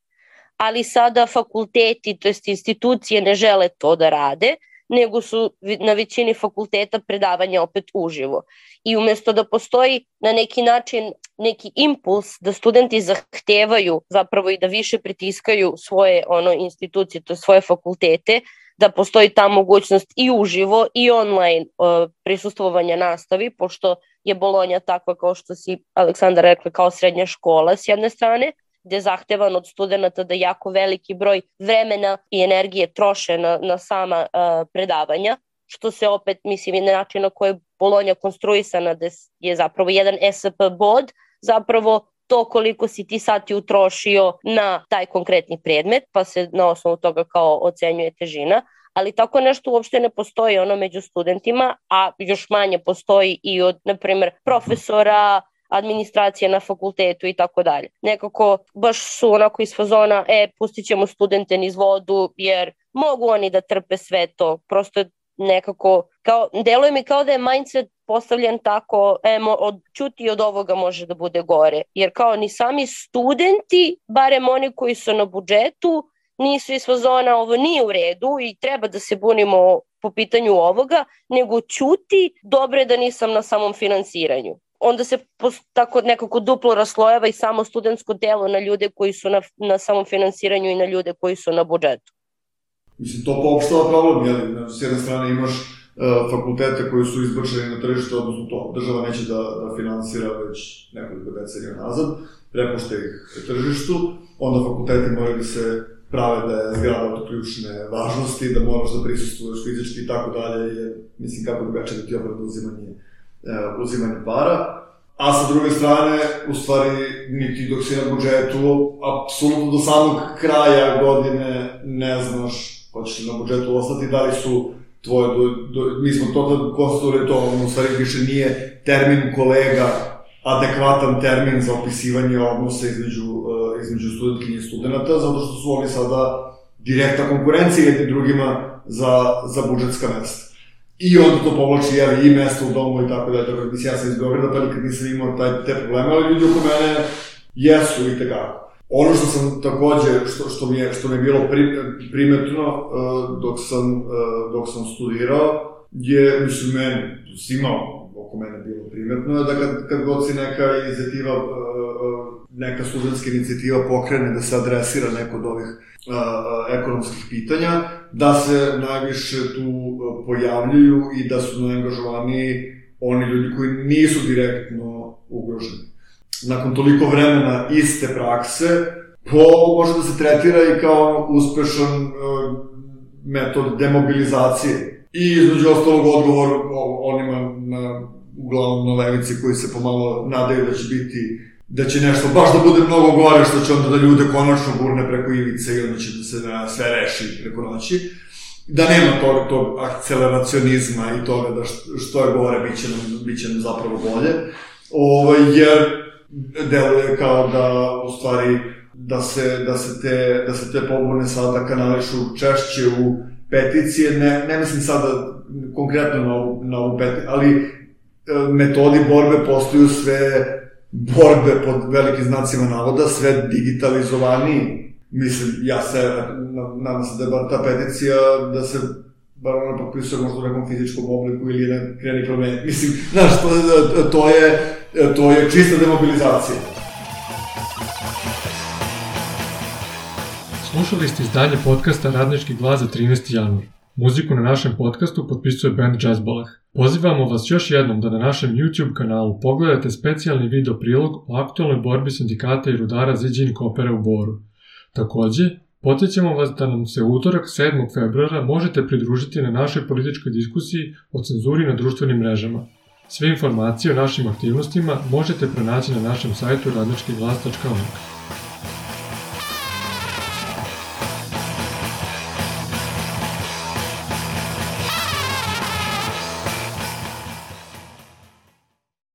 ali sada fakulteti, to jest institucije ne žele to da rade, nego su na većini fakulteta predavanja opet uživo. I umjesto da postoji na neki način neki impuls da studenti zahtevaju zapravo i da više pritiskaju svoje ono institucije, to svoje fakultete, da postoji ta mogućnost i uživo i online uh, prisustvovanja nastavi, pošto je Bolonja takva kao što si Aleksandar rekla kao srednja škola s jedne strane, gde je zahtevan od studenta da jako veliki broj vremena i energije troše na, na sama uh, predavanja, što se opet, mislim, je način na koji je Bolonja konstruisana, da je zapravo jedan S P bod, zapravo to koliko si ti sati utrošio na taj konkretni predmet, pa se na osnovu toga kao ocenjuje težina, ali tako nešto uopšte ne postoji ono među studentima, a još manje postoji i od, na primjer, profesora, administracija na fakultetu i tako dalje. Nekako baš su onako iz fazona, e, pustit ćemo studente niz vodu, jer mogu oni da trpe sve to. Prosto nekako, kao, deluje mi kao da je mindset postavljen tako, e, od, čuti od ovoga može da bude gore. Jer kao ni sami studenti, barem oni koji su na budžetu, nisu iz fazona, ovo nije u redu i treba da se bunimo po pitanju ovoga, nego čuti, dobro je da nisam na samom finansiranju. Onda se tako nekako duplo raslojava i samo studentsko delo na ljude koji su na, na samom finansiranju i na ljude koji su na budžetu. Mislim, to poopštava problem, jel? S jedne strane imaš uh, fakultete koji su izbačeni na tržište, odnosno to država neće da, da finansira već nekoliko decenija nazad, prepušta ih tržištu, onda fakulteti moraju da se prave da je zgrada od ključne važnosti, da moraš da prisustvuješ fizički i tako dalje, jer mislim kako drugačije da ti obrada uzimanje, uh, uzimanje para. A sa druge strane, u stvari, niti dok si na budžetu, apsolutno do samog kraja godine ne znaš hoćeš li na budžetu ostati, da li su tvoje, do, do, mi smo to konstatovali to, ono, u stvari više nije termin kolega adekvatan termin za opisivanje odnosa između, uh, između studentkinja i studenta, zato što su oni sada direktna konkurencija jednim drugima za, za budžetska mesta. I onda to povlači jeli, i mesta u domu i tako da je tako. Mislim, ja sam iz Beograda, pa nikad nisam imao taj, te probleme, ali ljudi oko mene jesu i tekako. Ono što sam takođe, što, što, mi, je, što mi je bilo pri, primetno uh, dok, sam, uh, dok sam studirao, je, mislim, meni, svima oko mene bilo primetno, da kad, kad god si neka inicijativa, uh, neka studentska inicijativa pokrene da se adresira neko od ovih uh, ekonomskih pitanja, da se najviše tu uh, pojavljuju i da su najangažovaniji oni ljudi koji nisu direktno ugroženi. Nakon toliko vremena iste prakse, po može da se tretira i kao uspešan uh, metod demobilizacije. I između ostalog odgovor onima na, uglavnom na levici koji se pomalo nadaju da će biti, da će nešto baš da bude mnogo gore, što će onda da ljude konačno gurne preko ivice i onda će da se na sve reši preko noći. Da nema tog, tog akceleracionizma i toga da što je gore, bit će nam, bit će nam zapravo bolje. Ovo, jer deluje kao da, u stvari, da se, da se, te, da se te pobune sada kanališu češće u peticije, ne, ne mislim sada konkretno na ovu, na ovu peticiju, ali metodi borbe postaju sve borbe pod velikim znacima navoda, sve digitalizovaniji. Mislim, ja se, nadam se da je bar ta peticija, da se bar ona potpisuje možda u nekom fizičkom obliku ili jedan kreni problem. Mislim, znaš, to, to, je, to je čista demobilizacija. Slušali ste izdanje podcasta Radnički glas za trinaesti januar. Muziku na našem podcastu potpisuje band Jazzbalah. Pozivamo vas još jednom da na našem YouTube kanalu pogledate specijalni video prilog o aktualnoj borbi sindikata i rudara Ziđin Kopera u Boru. Takođe, podsjećamo vas da nam se utorak sedmog februara možete pridružiti na našoj političkoj diskusiji o cenzuri na društvenim mrežama. Sve informacije o našim aktivnostima možete pronaći na našem sajtu radnički glas tačka org.